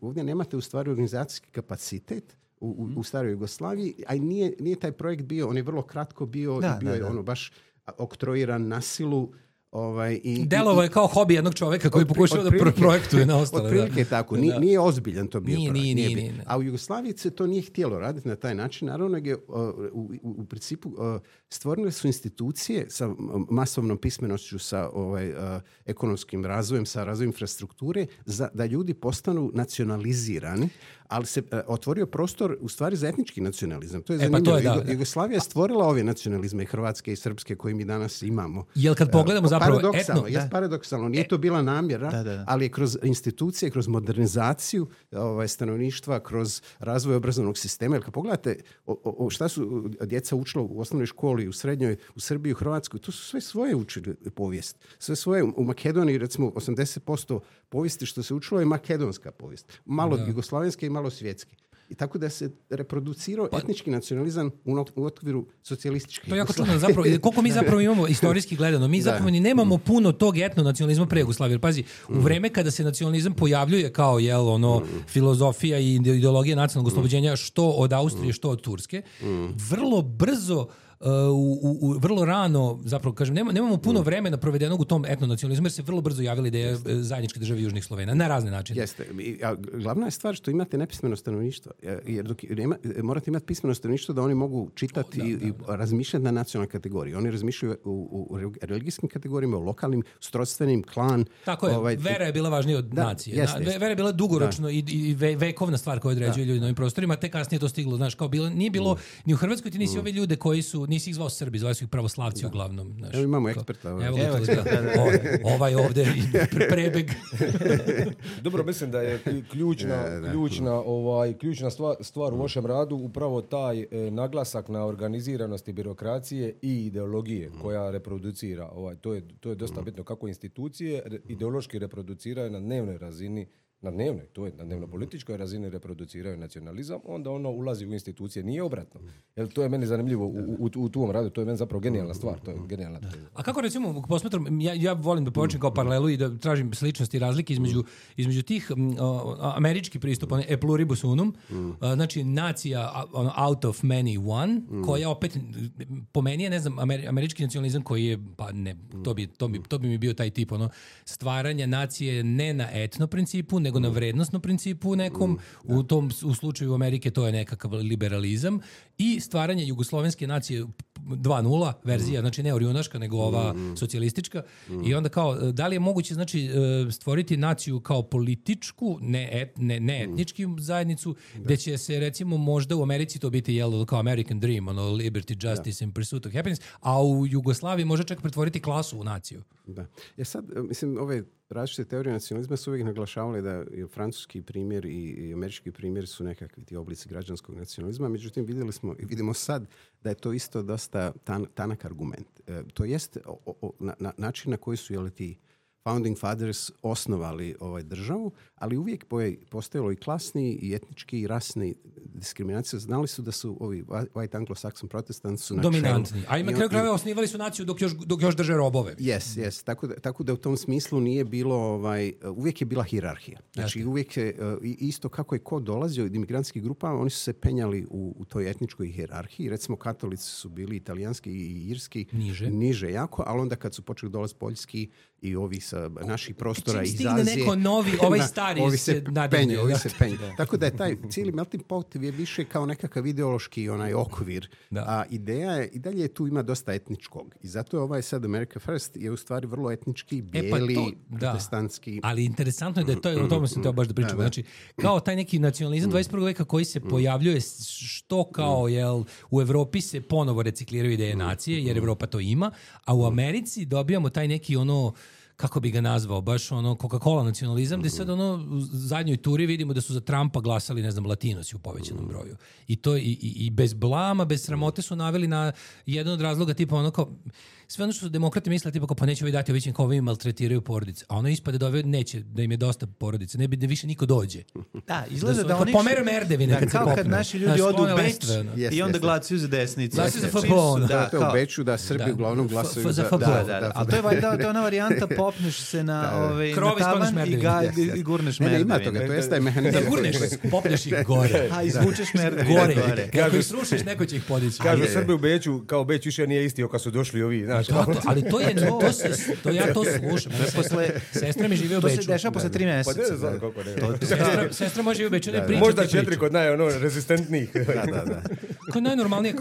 ovdje nemate u stvari organizacijski kapacitet u staroj Jugoslaviji, a nije taj projekt bio, on je vrlo kratko bio, bio je baš oktroiran na silu. Delovo je kao hobi jednog čovjeka koji pokušava da projektuje na ostale. Otprilike tako. Nije ozbiljan to bio. Nije. A u Jugoslaviji se to nije htjelo raditi na taj način. Naravno, u principu stvorene su institucije sa masovnom pismenošću, sa ekonomskim razvojem, sa razvojem infrastrukture, da ljudi postanu nacionalizirani, ali se otvorio prostor u stvari za etnički nacionalizam. To je zanimljivo. Jugoslavija je stvorila ove nacionalizme, i hrvatske i srpske, koje mi danas imamo. Jel kad pogledamo zapravo paradoksalno, nije to bila namjera, ali je kroz institucije, kroz modernizaciju stanovništva, kroz razvoj obrazovnog sistema. Jer kad pogledate šta su djeca učila u osnovnoj školi, u srednjoj, u Srbiji, u Hrvatskoj, to su sve svoje učili povijest. Sve svoje. U Makedoniji, recimo, 80% povijesti što se učilo je makedonska povijest. Malo jugoslavenske i malo svjetske. I tako da se reproducirao etnički nacionalizam u okviru socijalističke. To je jako čudno, zapravo, koliko mi zapravo imamo istorijski gledano, mi zapravo ni nemamo puno tog etnonacionalizma pre Jugoslavije. Pazi, u vreme kada se nacionalizam pojavljuje kao filozofija i ideologija nacionalnog oslobođenja, što od Austrije, što od Turske, vrlo brzo vrlo rano, zapravo kažem, nemamo puno vremena provedenog u tom etnonacionalizmu, jer se vrlo brzo javila ideja zajedničke države južnih Slovena, na razne načine. Jeste. Glavna je stvar što imate nepismeno stanovništvo, jer morate imati pismeno stanovništvo da oni mogu čitati i razmišljati na nacionalnoj kategoriji. Oni razmišljaju u religijskim kategorijama, u lokalnim, srodstvenim, klan. Tako je, vera je bila važnija od nacije. Vera je bila dugoročno i vekovna stvar koja određuje ljudi na ovim prostorima, te kasnije to stiglo, znaš, kao nije bilo ni u Hrvatskoj, ti nisi ove ljude koji su nisi ih zvao Srbi, zvao su ih pravoslavci uglavnom. Znaš, evo imamo eksperta. Evo ovaj ovde prebeg. Dobro, mislim da je ključna stvar u vašem radu upravo taj naglasak na organiziranosti birokracije i ideologije koja reproducira. To je dosta bitno kako institucije ideološki reproduciraju na dnevnoj razini, na dnevno-političkoj razini reproduciraju nacionalizam, onda ono ulazi u institucije, nije obratno. Jer to je meni zanimljivo u tom radu, to je meni zapravo genijalna stvar, to je genijalna teza. A kako recimo, posmatram, ja volim da počnem kao paralelu i da tražim sličnosti i razlike između tih američki pristup, e pluribus unum, znači nacija out of many one, koja opet, po meni je, ne znam, američki nacionalizam koji je, pa ne, to bi mi bio taj tip, stvaranja nacije ne na etno principu, nego na vrednostnom principu nekom, u slučaju Amerike to je nekakav liberalizam i stvaranje jugoslovenske nacije 2.0 verzija, znači ne orjunaška, nego ova socijalistička. I onda kao, da li je moguće znači stvoriti naciju kao političku, ne etnički zajednicu, gde će se recimo možda u Americi to biti kao American Dream, liberty, justice and pursuit of happiness, a u Jugoslaviji može čak pretvoriti klasu u naciju. Da. Sad, mislim, ove različite teorije nacionalizma su uvijek naglašavali da je francuski primjer i američki primjer su nekakvi ti oblici građanskog nacionalizma, međutim vidimo sad da je to isto dosta tanak argument. To jest način na koji su ti founding fathers osnovali državu, ali uvijek postojalo i klasni i etnički i rasni diskriminacija. Znali su da su ovi white anglo-saxon protestanti su dominantni. A na kraju krajeva osnivali su naciju dok još drže robove. Yes. Tako da u tom smislu nije bilo, uvijek je bila hijerarhija. Znači uvijek je, isto kako je ko dolazio od imigrantskih grupa, oni su se penjali u toj etničkoj hijerarhiji. Recimo katolici su bili italijanski i irski niže jako, ali onda kad su počeli dolaziti poljski i ovi sa naših prostora iz Azije. Čim stigne neko novi, ovaj stari se nadalje. Ovi se penju. Tako da je taj cijeli melting pot je više kao nekakav ideološki okvir. A ideja je, i dalje tu ima dosta etničkog. I zato je ovaj sad America First je u stvari vrlo etnički, bijeli, protestantski. Ali interesantno je da je to, o tome sam teo baš da pričam. Znači, kao taj neki nacionalizam 21. veka koji se pojavljuje što kao, u Evropi se ponovo recikliraju ideje nacije, jer Evropa to ima, a u Americi dobijamo taj neki kako bi ga nazvao, baš Coca-Cola nacionalizam, gde sad u zadnjoj turi vidimo da su za Trumpa glasali, ne znam, Latinosi u povećanom broju. I to i bez blama, bez sramote su naveli na jedan od razloga tipa sve ono što su demokrate misle, tipa pa neće ovi dati ovićem kao ovi maltretiraju porodice. A ono ispade da neće, da im je dosta porodice, ne bi da više niko dođe. Da, izgleda da oni... Pomere merdevine kad se popnu. Kao kad naši ljudi odu u Beč i onda glasuju za desnicu. Glasuju za FPO. To je u Beču da Srbi uglavnom glasuju za FPO. A to je ona varijanta, popneš se na tavan i gurneš merdevine. Ima toga, to jeste taj mehanizam. Ne gurneš, popneš ih gore. A izvučeš merdevine gore. Kako ih srušiš, neko će ih podići. Kažu Srbi u Beću, kao Beč više nije isti kad su došli ovi. Ali ja to slušam. Sestra mi živi u Beču. To se dešava posle 3 meseca. Sestra može živi u Beču. Možda 4 kod rezistentnijih. Da. Ko je najnormalnije,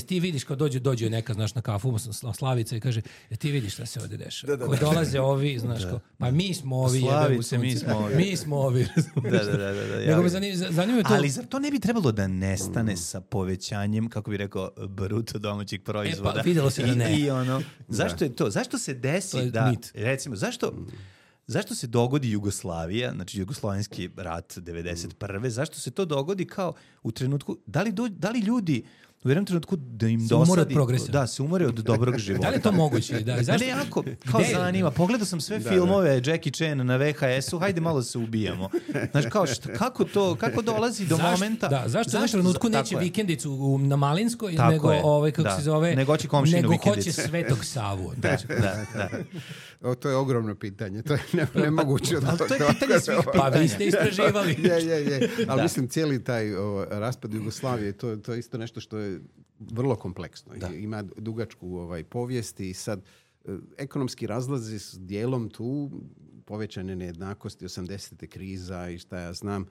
ti vidiš kad dođe neka, znaš, na kafu, Slavica i kaže, ti vidiš šta se ovdje dešava. Ko dolaze ovi, znaš, pa mi smo ovi, mi smo ovi. Nego me zanima to. Ali zar to ne bi trebalo da nestane sa povećanjem, kako bi rekao, bruto domaćeg proizvoda? Pa videlo se da ne. Zašto je to? Zašto se desi da, recimo, zašto se dogodi Jugoslavija, znači Jugoslovenski rat 91. Zašto se to dogodi kao u trenutku, da li ljudi u jednom trenutku da im dosadi, da se umore od dobrog života. Da li je to moguće? Da, zašto? Ne, jako, kao zanima. Pogledao sam sve filmove Jackie Chan na VHS-u, hajde malo se ubijamo. Znači, kako dolazi do momenta... Da, zašto u trenutku neće vikendicu na Malinskoj, nego kako se zove... Nego hoće komšinu vikendicu. Nego hoće Svetog Savu. Da. To je ogromno pitanje. To je nemoguće. Ali to je pitanje svih pitanja. Pa vi ste istraživali. Je. Ali mislim, cijeli taj raspad Jugoslavije, to je isto nešto što je vrlo kompleksno. Ima dugačku povijest i sad ekonomski razlazi s dijelom tu, povećane nejednakosti, 80. kriza i šta ja znam,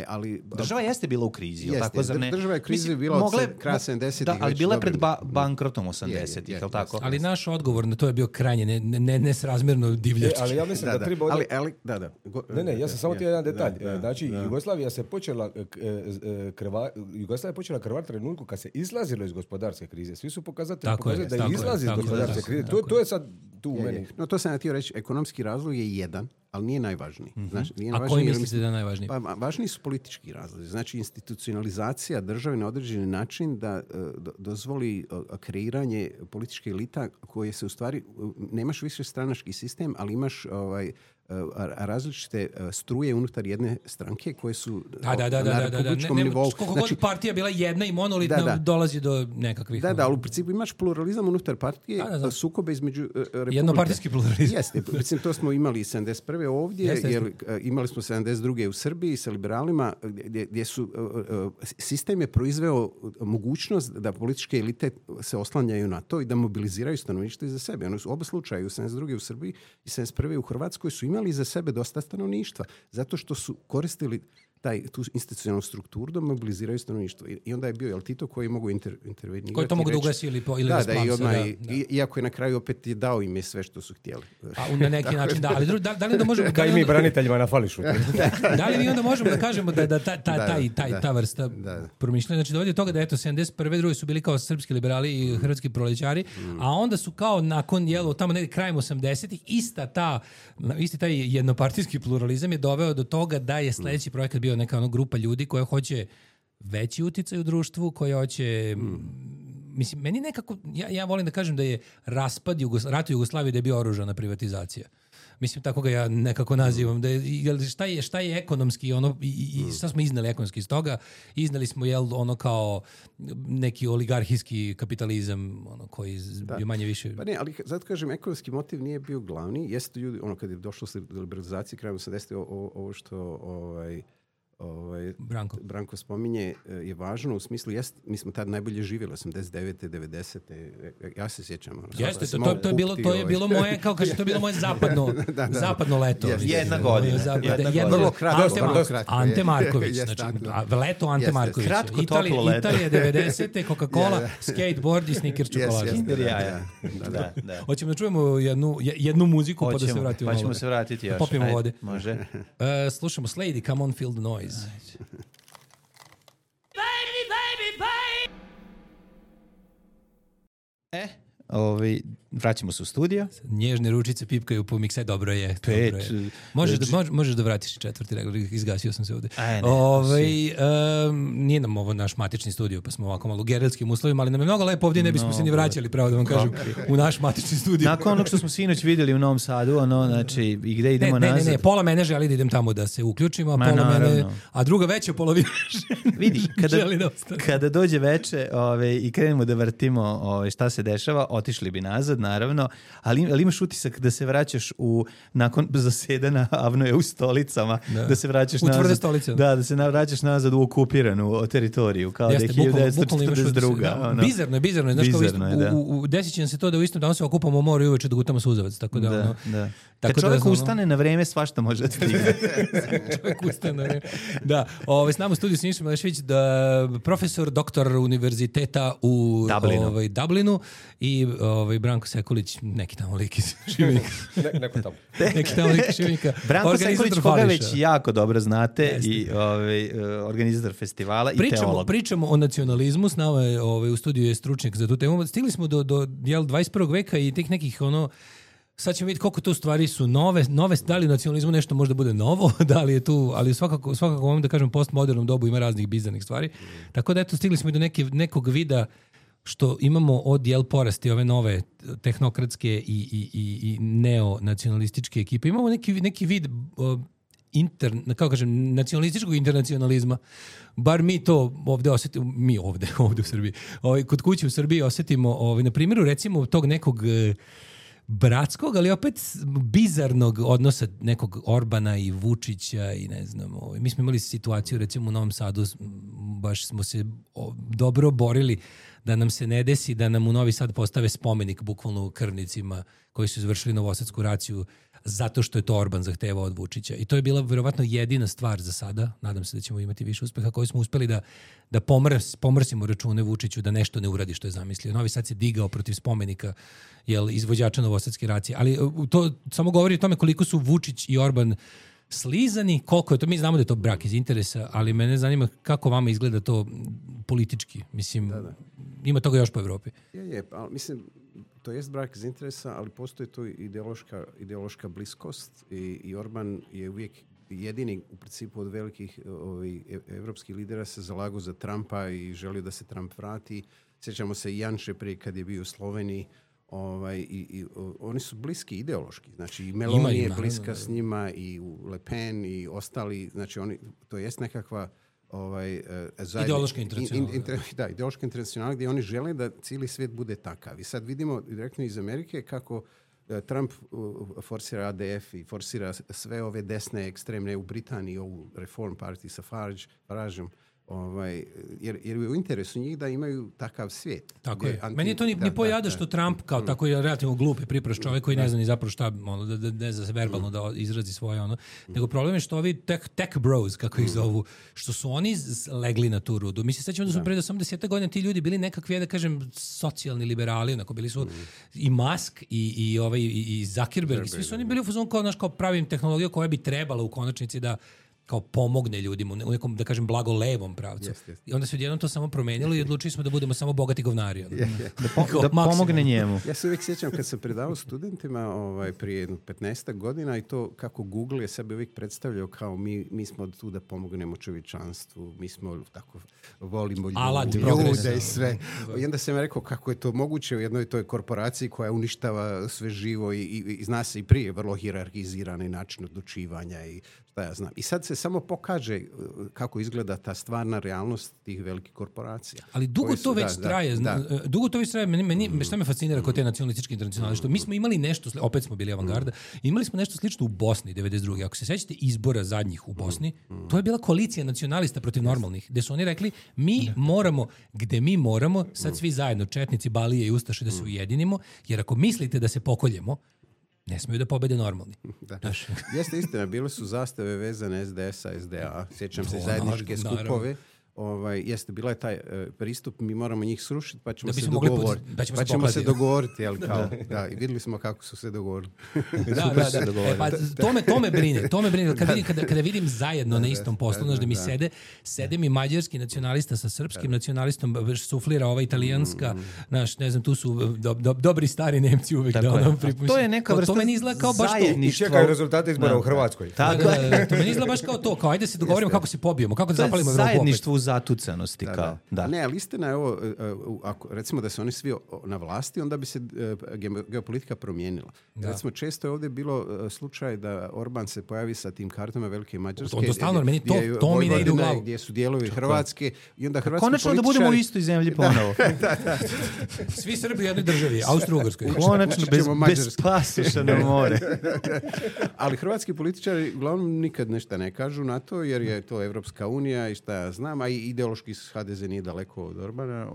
Ali, država jeste bila u krizi, jeste, tako? Zar ne? Država je krizi bila od kraja 70-ih. Da, ali bila je pred bankrotom 80-ih, je li tako? Ali naš odgovor na to je bio krajnje nesrazmjerno divljački. Ali ja mislim da treba... Da. Ne, ja sam samo jedan detalj. Znači, Jugoslavija je počela krvariti trenutku kad se izlazilo iz gospodarske krize. Svi su pokazatelji da je izlazi iz gospodarske krize. To je sad tu u meni. No, to sam ja htio reći, ekonomski razlog je jedan, ali nije najvažniji. Znači, a koji mislite da je najvažniji? Pa, važniji su politički razlozi. Znači, institucionalizacija države na određeni način da dozvoli kreiranje političke elita koje se u stvari, nemaš više stranački sistem, ali imaš različite struje unutar jedne stranke koje su na republičkom nivou. Koliko god partija bila jedna i monolitna, dolazi do nekakvih... Da, ali u principu imaš pluralizam unutar partije, sukobe između republike. Jednopartijski pluralizam. Jeste, mislim, to smo imali 71. ovdje, jer imali smo 72. u Srbiji sa liberalima, gdje su sistem je proizveo mogućnost da političke elite se oslanjaju na to i da mobiliziraju stanovništvo iza sebe. Ono su oba slučaja, u 72. u Srbiji i 71. u Hrvatskoj su imali za sebe dosta stanovništva, zato što su koristili tu institucionalnu strukturu da mobiliziraju stanovništvo. I onda je bio Tito koji mogu intervenirati. Koji to mogu da ugasi ili iako je na kraju opet dao im je sve što su htjeli. A na neki način da. Ali da li da možemo... Kaj mi braniteljima na fališu. Da li mi onda možemo da kažemo da ta vrsta promišljanja, znači dovodi do toga da 71. drugi su bili kao srpski liberali i hrvatski prolećari, a onda su kao nakon tamo negdje krajem 80-ih isti taj jednopartijski pluralizam je doveo do toga da je sljedeći projekat bio neka grupa ljudi koja hoće veći uticaj u društvu, koja hoće... Mislim, meni nekako... Ja volim da kažem da je raspad rata Jugoslavije da je bio oružana privatizacija. Mislim, tako ga ja nekako nazivam. Da je, šta je ekonomski i šta smo iznali ekonomski iz toga? Iznali smo kao neki oligarhijski kapitalizam koji je manje više... Pa ne, ali zato kažem, ekonomski motiv nije bio glavni. Jeste ljudi, kad je došlo do liberalizacije krajem 80. ovo što Branko spominje je važno u smislu, mi smo tad najbolje živjeli 89. 90. Ja se sjećam. Jeste, to je bilo moje, kao kaže, to je bilo moje zapadno leto. Jedna godina. Vrlo kratko. Ante Marković. Leto Ante Marković. Kratko, toplo leto. Italija 90. Coca-Cola, skateboard i Snickers čokolada. Hoćemo da čujemo jednu muziku pa da se vratimo. Pa ćemo se vratiti još. Popijemo vode. Može. Slušamo Slady, Come On Feel the Noise. Vraćamo se u studio. Nježne ručice pipkaju po mikse, dobro je. Možeš da vratiš četvrti regler, izgasio sam se ovde. Nije nam ovo naš matični studio, pa smo ovako malo u gerilskim uslovima, ali nam je mnogo lepo ovdje, ne bismo se ni vraćali, pravo da vam kažem, u naš matični studio. Nakon onog što smo sinoć vidjeli u Novom Sadu, znači, i gde idemo nazad? Ne, pola mene želi da idem tamo da se uključimo, a druga veća polovina vidi, kada dođe veče i krenemo da vrtimo šta se dešava, otišli bi nazad, naravno, ali imaš utisak da se vraćaš nakon zasedana Avnoje u stolicama, da se vraćaš nazad. U tvrde stolice. Da se vraćaš nazad u okupiranu teritoriju, kao jeste, da je 1942. Bizarno je. Znaš, desit će nam se to da u istom danu se okupamo u moru i uveče da gutamo suzavac. Tako da. Kad čovjek ustane na vreme, svašta može da stigne. Čovjek ustane na vreme. Da, s nama u studiju Siniša Malešević, profesor, doktor univerziteta u Dublinu i Branko Sekulić, neki tamo lik iz Šibenika. Neki tamo lik iz Šibenika. Branko Sekulić, koga već jako dobro znate, i organizator festivala i teolog. Pričamo o nacionalizmu, s nama je u studiju je stručnjak za tu temu. Stigli smo do 21. veka i tih nekih sad ćemo vidjeti koliko to stvari su nove, da li u nacionalizmu nešto možda bude novo, da li je tu, ali svakako ovom da kažem postmodernom dobu ima raznih bizarnih stvari. Tako da stigli smo i do nekog vida što imamo od porasti ove nove tehnokratske i neonacionalističke ekipe. Imamo neki vid nacionalističkog internacionalizma. Bar mi to ovdje osjetimo, ovdje u Srbiji. Kod kuće u Srbiji osjetimo, na primjeru recimo tog nekog bratskog, ali opet bizarnog odnosa nekog Orbana i Vučića i ne znam, mi smo imali situaciju recimo u Novom Sadu, baš smo se dobro borili da nam se ne desi da nam u Novi Sad postave spomenik bukvalno u krvnicima koji su izvršili novosadsku raciju zato što je to Orban zahtevao od Vučića. I to je bila verovatno jedina stvar za sada, nadam se da ćemo imati više uspeha, koji smo uspeli da pomrsimo račune Vučiću da nešto ne uradi što je zamislio. Novi Sad se digao protiv spomenika izvođača novosadske racije. Ali to samo govori o tome koliko su Vučić i Orban slizani, koliko je to, mi znamo da je to brak iz interesa, ali mene zanima kako vama izgleda to politički. Mislim, ima toga još po Evropi. Ali mislim, to jest brak iz interesa, ali postoji tu ideološka bliskost i Orban je uvijek jedini u principu od velikih evropskih lidera se zalagao za Trumpa i želio da se Trump vrati. Sjećamo se i Janše prije kad je bio u Sloveniji. Oni su bliski ideološki, znači i Meloni je bliska s njima i Le Pen i ostali, znači to jest nekakva ideološka internacionalna. Ideološka internacionalna gdje oni žele da cijeli svijet bude takav. I sad vidimo direktno iz Amerike kako Trump forsira ADF i forsira sve ove desne ekstremne u Britaniji, ovu Reform Party sa Farageom, jer je u interesu njih da imaju takav svijet. Tako je. Meni je to ni pojada što Trump kao tako je relativno glup i pripraš čovjek koji ne zna ni zapravo šta, da ne zna se verbalno da izrazi svoje nego problem je što ovi tech bros, kako ih zovu, što su oni legli na tu rudu. Mi se sećamo da su pre 80 godina ti ljudi bili nekakvi, da kažem, socijalni liberali, onako bili su i Musk i Zuckerberg, svi su oni bili u fazonu kao pravim tehnologiju koja bi trebala u konačnici da kao pomogne ljudima u nekom, da kažem, blagolevom pravcu. I onda se odjednom to samo promenilo i odlučili smo da budemo samo bogati govnari. Da pomogne njemu. Ja se uvijek sjećam kad sam predavao studentima prije 15 godina i to kako Google je sebe uvijek predstavljao kao mi smo tu da pomognemo čovječanstvu, mi smo tako, volimo ljude i sve. I onda sam rekao kako je to moguće u jednoj toj korporaciji koja uništava sve živo i zna se i prije vrlo hijerarhizirani način odlučivanja i šta ja znam. I sad se samo pokaže kako izgleda ta stvarna realnost tih velikih korporacija. Ali dugo to već traje. Dugo to već traje. Meni šta me fascinira kod te nacionalističke internacionale, što mi smo imali nešto, opet smo bili avangarda, imali smo nešto slično u Bosni 92. Ako se sećate izbora zadnjih u Bosni, to je bila koalicija nacionalista protiv normalnih, gde su oni rekli mi moramo, gde mi moramo, sad svi zajedno, četnici, balije i ustaše, da se ujedinimo, jer ako mislite da se pokoljemo, ne smiju da pobede normalni. Jeste istina, bile su zastave vezane SDS-a, SDA, sjećam se zajedničke skupove. Jeste, bila je taj pristup, mi moramo njih srušiti, pa ćemo se dogovoriti. I vidjeli smo kako su se dogovorili. To me brine. Kada vidim zajedno na istom poslu, da mi sede mi mađarski nacionalista sa srpskim nacionalistom, suflira ova italijanska, ne znam, tu su dobri stari Nemci uvek. To je neka vrsta zajedništva. I čekaju rezultate izbora u Hrvatskoj. To meni izgleda baš kao to, kao ajde se dogovorimo kako se pobijemo, kako da zapalimo Evropu opet. Zatucanosti da. Ne, ali istina je ovo, ako recimo da su oni svi na vlasti, onda bi se geopolitika promijenila. Recimo, često je ovdje bilo slučaj da Orban se pojavi sa tim kartama Velike Mađarske. To stalno, meni to mi ne ide u glavu. Gdje su dijelovi Hrvatske i onda hrvatski konačno političari... da budemo u istoj zemlji ponovo. Svi Srbi u jednoj državi, Austro-Ugarskoj. Konačno bez pasoša na more. Ali hrvatski političari uglavnom nikad nešto ne kažu na to, jer je to Evropska unija i šta ja znam, a i ideološki HDZ nije daleko od Orbana.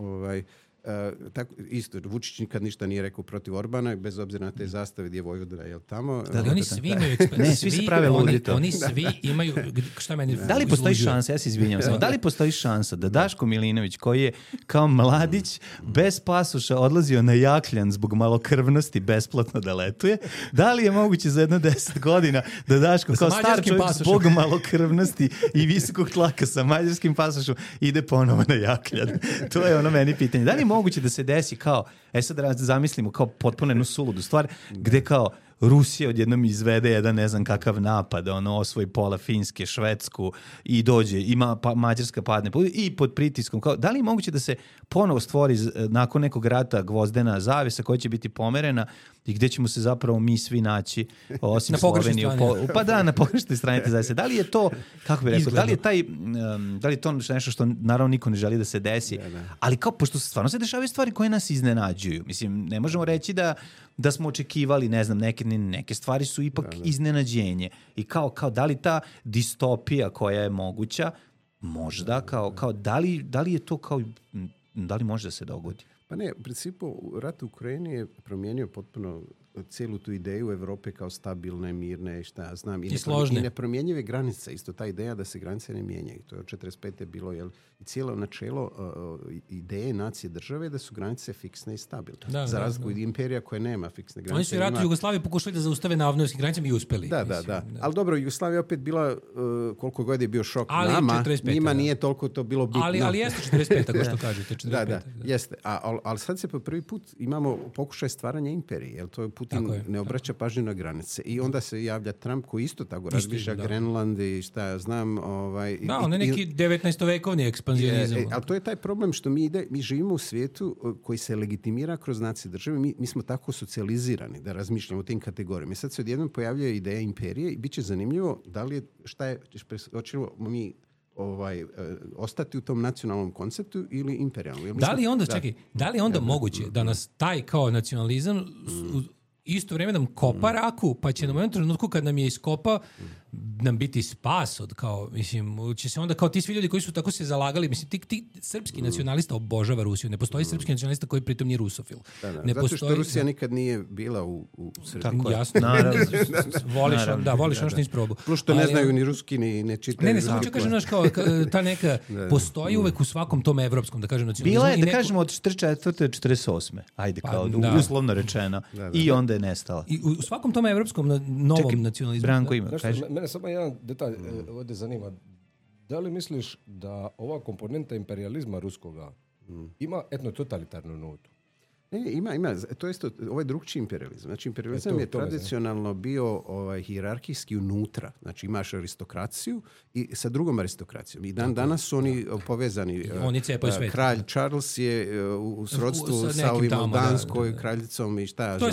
Isto, Vučić nikad ništa nije rekao protiv Orbana, bez obzira na te zastave gdje je Vojvodina, je li tamo? Da, oni svi imaju svi se prave ludi to. Oni svi imaju, šta meni da li postoji šansa, ja se izvinjam samo, da li postoji šansa da Daško Milinović, koji je kao mladić bez pasoša odlazio na Jakljan zbog malokrvnosti besplatno da letuje, da li je moguće za jedno 10 godina da Daško kao star čovjek zbog malokrvnosti i visokog tlaka sa mađarskim pasošom ide ponovo na Jakljan? To je ono meni pitanje. Da li moguće da se desi kao, sad da zamislimo kao potpuno jednu suludu stvar, gde kao Rusija odjednom izvede jedan ne znam kakav napad, osvoji pola Finske, Švedsku i dođe, ima Mađarska padne i pod pritiskom. Kao, da li je moguće da se ponovo stvori nakon nekog rata gvozdena zavesa koja će biti pomerena i gdje ćemo se zapravo mi svi naći, osim Slovenije. Na pogrešnoj strani te zavese. Da li je to, kako bih rekao, da li je to nešto što naravno niko ne želi da se desi, ali kao, pošto stvarno se dešavaju stvari koje nas iznenađuju. Mislim, ne možemo reći da smo očekivali, ne znam, neke stvari su ipak iznenađenje. I kao da li ta distopija koja je moguća, možda, kao da li je to kao da li može da se dogodi? Pa ne, u principu rat u Ukrajini je promijenio potpuno cijelu tu ideju Evrope kao stabilne, mirne, šta ja znam. I složne. I nepromjenjive granice, isto ta ideja da se granice ne mijenjaju. To je od 45. bilo, i cijelo načelo ideje nacije države da su granice fiksne i stabilne. Za razliku od imperija koje nema fiksne granice. Oni su i ratu Jugoslavije pokušali da zaustave na avnojskim granicama i uspeli. Da. Ali dobro, Jugoslavija opet bila, koliko god je bio šok nama, 45, njima nije toliko to bilo bitno. Ali jeste 45, ako što kažete. 45, da, jeste. Ali sad se po prvi put imamo pokušaj stvaranja imperije, jer to je Putin ne obraća pažnju na granice. I onda se javlja Trump koji isto tako razmišlja Grenland i šta ja znam. On je neki 19-vekovni ekspanzionizam. Ali to je taj problem što mi živimo u svijetu koji se legitimira kroz nacije države. Mi smo tako socijalizirani da razmišljamo o tim kategorijama. I sad se odjednom pojavljuje ideja imperije i bit će zanimljivo da li je, hoćemo mi ostati u tom nacionalnom konceptu ili imperijalnom. Da li je onda moguće da nas taj kao nacionalizam isto vrijeme nam kopa raku, pa će nam u jednom trenutku kad nam je iskopa nam biti spas od kao, mislim, će se onda kao ti svi ljudi koji su tako se zalagali, mislim, ti srpski nacionalista obožava Rusiju, ne postoji srpski nacionalista koji pritom nije rusofil. Zato što Rusija nikad nije bila u Srbiji. Tako jasno. Voliš ono što nisi probao. Plus što ne znaju ni ruski, ni ne čitaju. Ne, samo ću kažem, znaš, kao ta neka, postoji uvek u svakom tom evropskom, da kažem, nacionalizmu. Bila je, da kažemo, od 44. do 48. Ajde, kao uslovno rečeno. I onda je nestala. I u svakom tom evropskom novom nacionalizmu. Branko ima, kaži. Mene samo jedan detalj ovdje zanima. Da li misliš da ova komponenta imperializma ruskoga ima etno-totalitarnu notu? Ne, ima. To je isto, ovaj drugčiji imperializam. Znači, imperializam je tradicionalno bio hijerarhijski unutra. Znači, imaš aristokraciju i sa drugom aristokracijom. I danas su oni povezani. Oni cepaju svet. Kralj Charles je u srodstvu sa ovim Danskoj kraljicom i šta. To je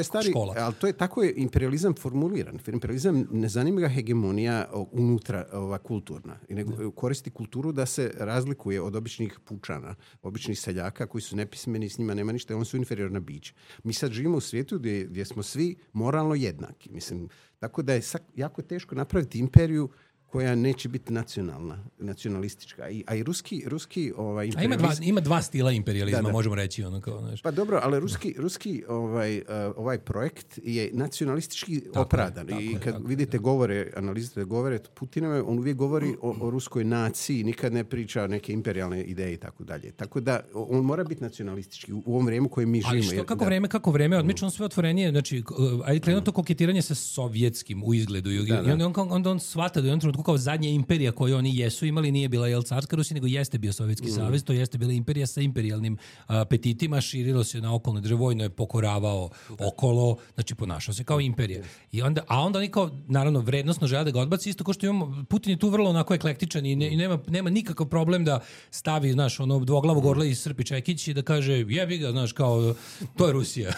stari škola. Ali to je tako je imperializam formuliran. Imperializam ne zanima ga hegemonija unutra, kulturna. I nego koristi kulturu da se razlikuje od običnih pučana, običnih seljaka koji su nepismeni, s njima nema ništa, oni su inferiorna bića. Mi sad živimo u svijetu gdje smo svi moralno jednaki. Mislim, tako da je jako teško napraviti imperiju koja neće biti nacionalistička. A i ruski imperializam... Ima dva stila imperializma, možemo reći. Pa dobro, ali ruski ovaj projekt je nacionalistički opravdan. I kad vidite analizite govore Putinove, on uvijek govori o ruskoj naciji, nikad ne priča o neke imperijalne ideje i tako dalje. Tako da on mora biti nacionalistički u ovom vrijeme koje mi živimo. Ali kako vreme, odmično sve otvorenije, znači, ajde krenuo to koketiranje sa sovjetskim u izgledu. I onda on shvata da je on trenutku kao zadnja imperija koju oni jesu imali nije bila carska Rusija, nego jeste bio Sovjetski savez, to jeste bila imperija sa imperijalnim apetitima, širilo se na okolne države, vojno je pokoravao okolo, znači ponašao se kao imperija. A onda oni kao, naravno, vrednosno žele da ga odbaci, isto kao što imamo, Putin je tu vrlo onako eklektičan i nema nikakav problem da stavi, znaš, ono dvoglavog orla iz Srpi Čekić i da kaže, jebi ga, znaš, kao, to je Rusija.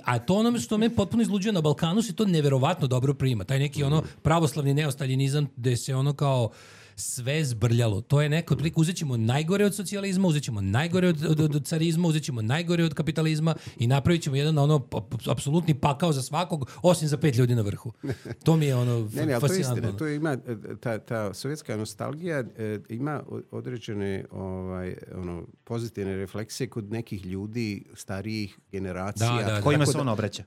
A to ono što me potpuno izluđuje na Balkanu se to neverovatno dobro prima. Taj neki ono pravoslavni neostaljinizam gde se ono kao sve zbrljalo. To je neko otprilike, uzet ćemo najgore od socijalizma, uzet ćemo najgore od carizma, uzet ćemo najgore od kapitalizma i napravit ćemo jedan ono apsolutni pakao za svakog, osim za 5 ljudi na vrhu. To mi je ono fascinantno. To ima ta sovjetska nostalgija ima određene pozitivne refleksije kod nekih ljudi starijih generacija. Kojima se on obraća.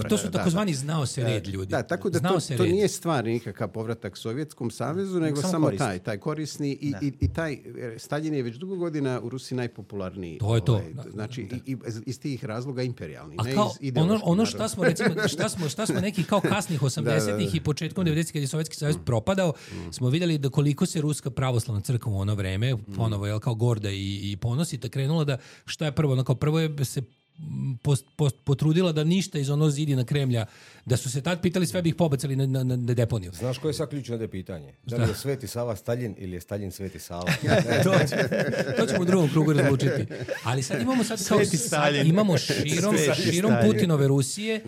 To su takozvani znao se red ljudi. Da, tako da to nije stvar nikakav povratak Sovjetskom savezu, nego samo taj korisni i taj Staljin je već dugo godina u Rusiji najpopularniji. To je to. Znači i iz tih razloga imperijalni. A kao ono šta smo recimo šta smo neki kao kasnih 80-ih i početkom 90-ih kad je Sovjetski savez propadao, smo vidjeli da koliko se Ruska pravoslavna crkva u ono vreme ponovo je kao gorda i ponosita krenula da šta je prvo, prvo je se potrudila da ništa iz ono zidina Kremlja, da su se tad pitali sve bi ih pobacali na deponiju. Znaš koje je sad ključno da je pitanje? Da li je Sveti Sava Staljin ili je Staljin Sveti Sava? To ćemo u drugom krugu razlučiti. Ali sad imamo imamo širom Putinove Rusije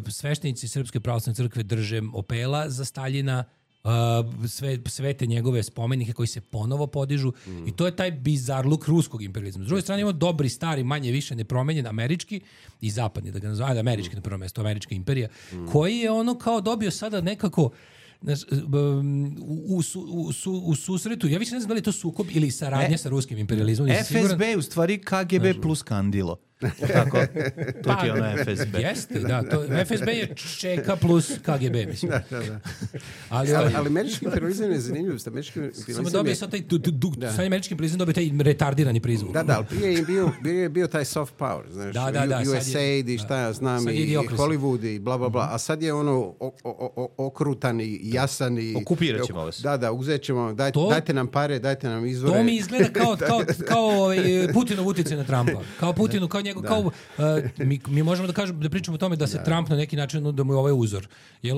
sveštenici Srpske pravoslavne crkve drže opela za Staljina, sve te njegove spomenike koji se ponovo podižu i to je taj bizarluk ruskog imperializma. S druge strane imamo dobri, stari, manje više nepromenjen američki i zapadni, da ga nazvaju, američki na prvo mjesto, američka imperija, koji je ono kao dobio sada nekako Znaš, u susretu, ja više ne znam da li je to sukob ili saradnja sa ruskim imperializmom. FSB je u stvari KGB plus Kandilo. Tako? To ti je ono FSB. Jeste, da. FSB je ČK plus KGB, mislim. Da. Ali američki imperializam je zanimljiv. Samo dobije sad taj američki imperializam dobije taj retardirani prizvuk. Da, ali prije je bio taj soft power, znaš, USAID i šta ja znam, i Hollywood i bla, bla, bla. A sad je ono okrutan i jasan i... Okupirat ćemo vas. Da, uzet ćemo, dajte nam pare, dajte nam izvore. To mi izgleda kao Putinov utjecaj na Trumpa. Kao Putinu, kao njegov, mi možemo da pričamo o tome da se Trump na neki način, da mu je ovaj uzor. Jer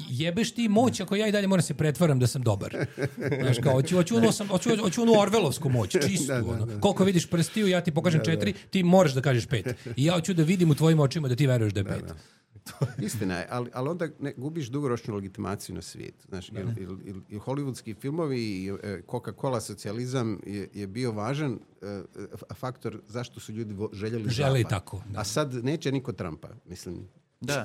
jebeš ti moć ako ja i dalje moram se pretvaram da sam dobar. Znaš, kao, hoću onu orvelovsku moć, čistu. Koliko vidiš prstiju, ja ti pokažem 4, ti moraš da kažeš 5. I ja hoću da vidim u tvojim očima da ti veruješ da je 5. Istina je, ali onda gubiš dugoročnu legitimaciju na svijetu. Znaš, i hollywoodski filmovi i Coca-Cola socijalizam je bio važan faktor zašto su ljudi željeli zapad. Tako. Da. A sad neće niko Trumpa, mislim. Da,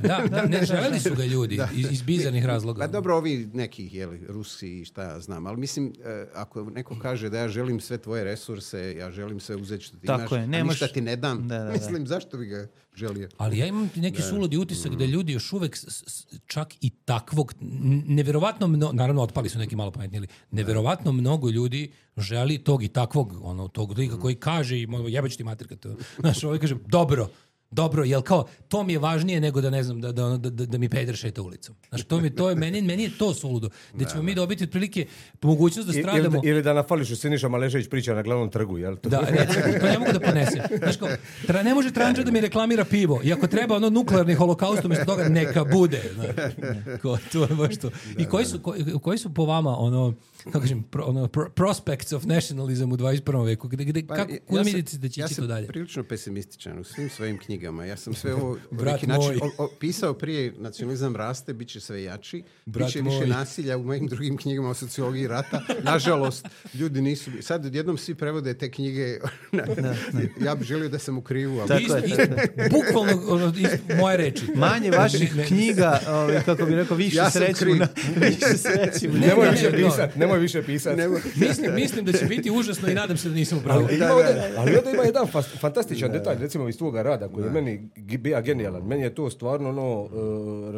ne željeli su ga ljudi iz bizarnih razloga. Pa dobro, ovi neki Rusi i šta ja znam, ali mislim, ako neko kaže da ja želim sve tvoje resurse, ja želim sve uzeti što ti imaš, a ništa ti ne dam, mislim, zašto bi ga želio? Ali ja imam neki suludi utisak da ljudi još uvek čak i takvog, neverovatno naravno otpali su neki malo pametniji, neverovatno mnogo ljudi želi tog i takvog, tog lika koji kaže i jebać ti mater kad to, znaš, ovaj kaže, dobro, jel kao, to mi je važnije nego da ne znam, da mi peder šeta ulicom. Znači, meni je to suludo. Da ćemo mi dobiti otprilike mogućnost da stradamo... Ili da na Fališu Siniša Maležević priča na glavnom trgu, jel? Da, to ne mogu da ponesem. Znači, kao, ne može Tranča da mi reklamira pivo. I ako treba nuklearni holokaust, umjesto toga neka bude. To je baš to. I koji su po vama, kako kažem, prospects of nationalism u 21. veku? Kuda mislite da će ići to dalje? Ja sam prilično pesimističan u svim svojim knjigama. Ja sam sve ovo neki način pisao prije nacionalizam raste, bit će sve jači, bit će više nasilja u mojim drugim knjigama o sociologiji rata. Nažalost, ljudi nisu... Sad odjednom svi prevode te knjige. Ja bih želio da sam u krivu. Bukvalno moje reči. Manje vaših knjiga, kako bi rekao, više sreću. Nemoj više pisati. Mislim da će biti užasno i nadam se da nisam upravo. Ali onda ima jedan fantastičan detalj, recimo iz tvoga rada, koji je meni bio genijalan. Meni je to stvarno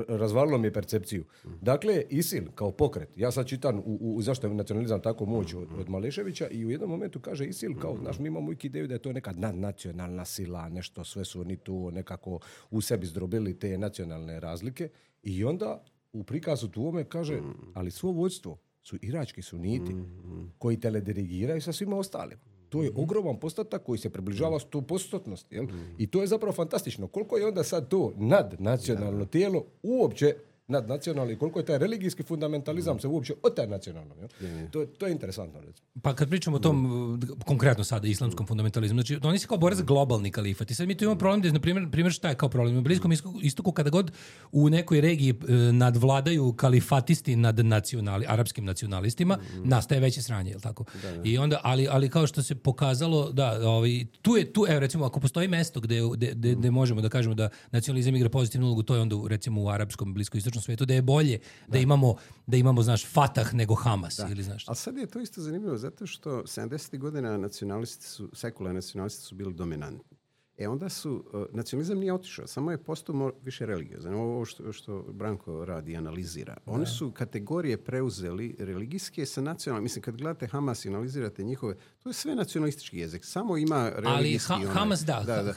razvalilo mi je percepciju. Dakle, ISIL kao pokret, ja sad čitam zašto je nacionalizam tako moć od Maleševića i u jednom momentu kaže ISIL kao, znaš, mi imamo ideju da je to neka nadnacionalna sila, nešto, sve su oni tu nekako u sebi zdrobili te nacionalne razlike i onda u prikazu tuome kaže, ali svo vođstvo su irački suniti koji teledirigiraju sa svima ostalim. To je ogroman postotak koji se približava 100%. Jel? I to je zapravo fantastično. Koliko je onda sad to nadnacionalno tijelo uopće nadnacionalno i koliko je taj religijski fundamentalizam se uopće otaje nacionalno. To je interesantno. Recimo. Pa kad pričamo o tom, konkretno sada, islamskom fundamentalizmu, znači oni se kao bore za globalni kalifat. I sad mi tu imamo problem, na primjer šta je kao problem? U Bliskom istoku kada god u nekoj regiji nadvladaju kalifatisti nad arapskim nacionalistima, nastaje veće sranje, je li tako? Da. I onda, ali kao što se pokazalo, tu je, recimo, ako postoji mesto gde možemo da kažemo da nacionalizam igra pozitivnu ulogu, to je onda recimo u arapskom bliskoistočnom svijetu, da je bolje da imamo, znaš, Fatah nego Hamas. Ili, znaš. Ali sad je to isto zanimljivo zato što 70. godina sekularni nacionalisti su bili dominantni. Onda nacionalizam nije otišao, samo je postao više religiozan. Ovo što Branko radi i analizira. Oni su kategorije preuzeli religijske sa nacionalnim. Mislim, kad gledate Hamas i analizirate njihove, to je sve nacionalistički jezik. Samo ima religijski... Ali Hamas da.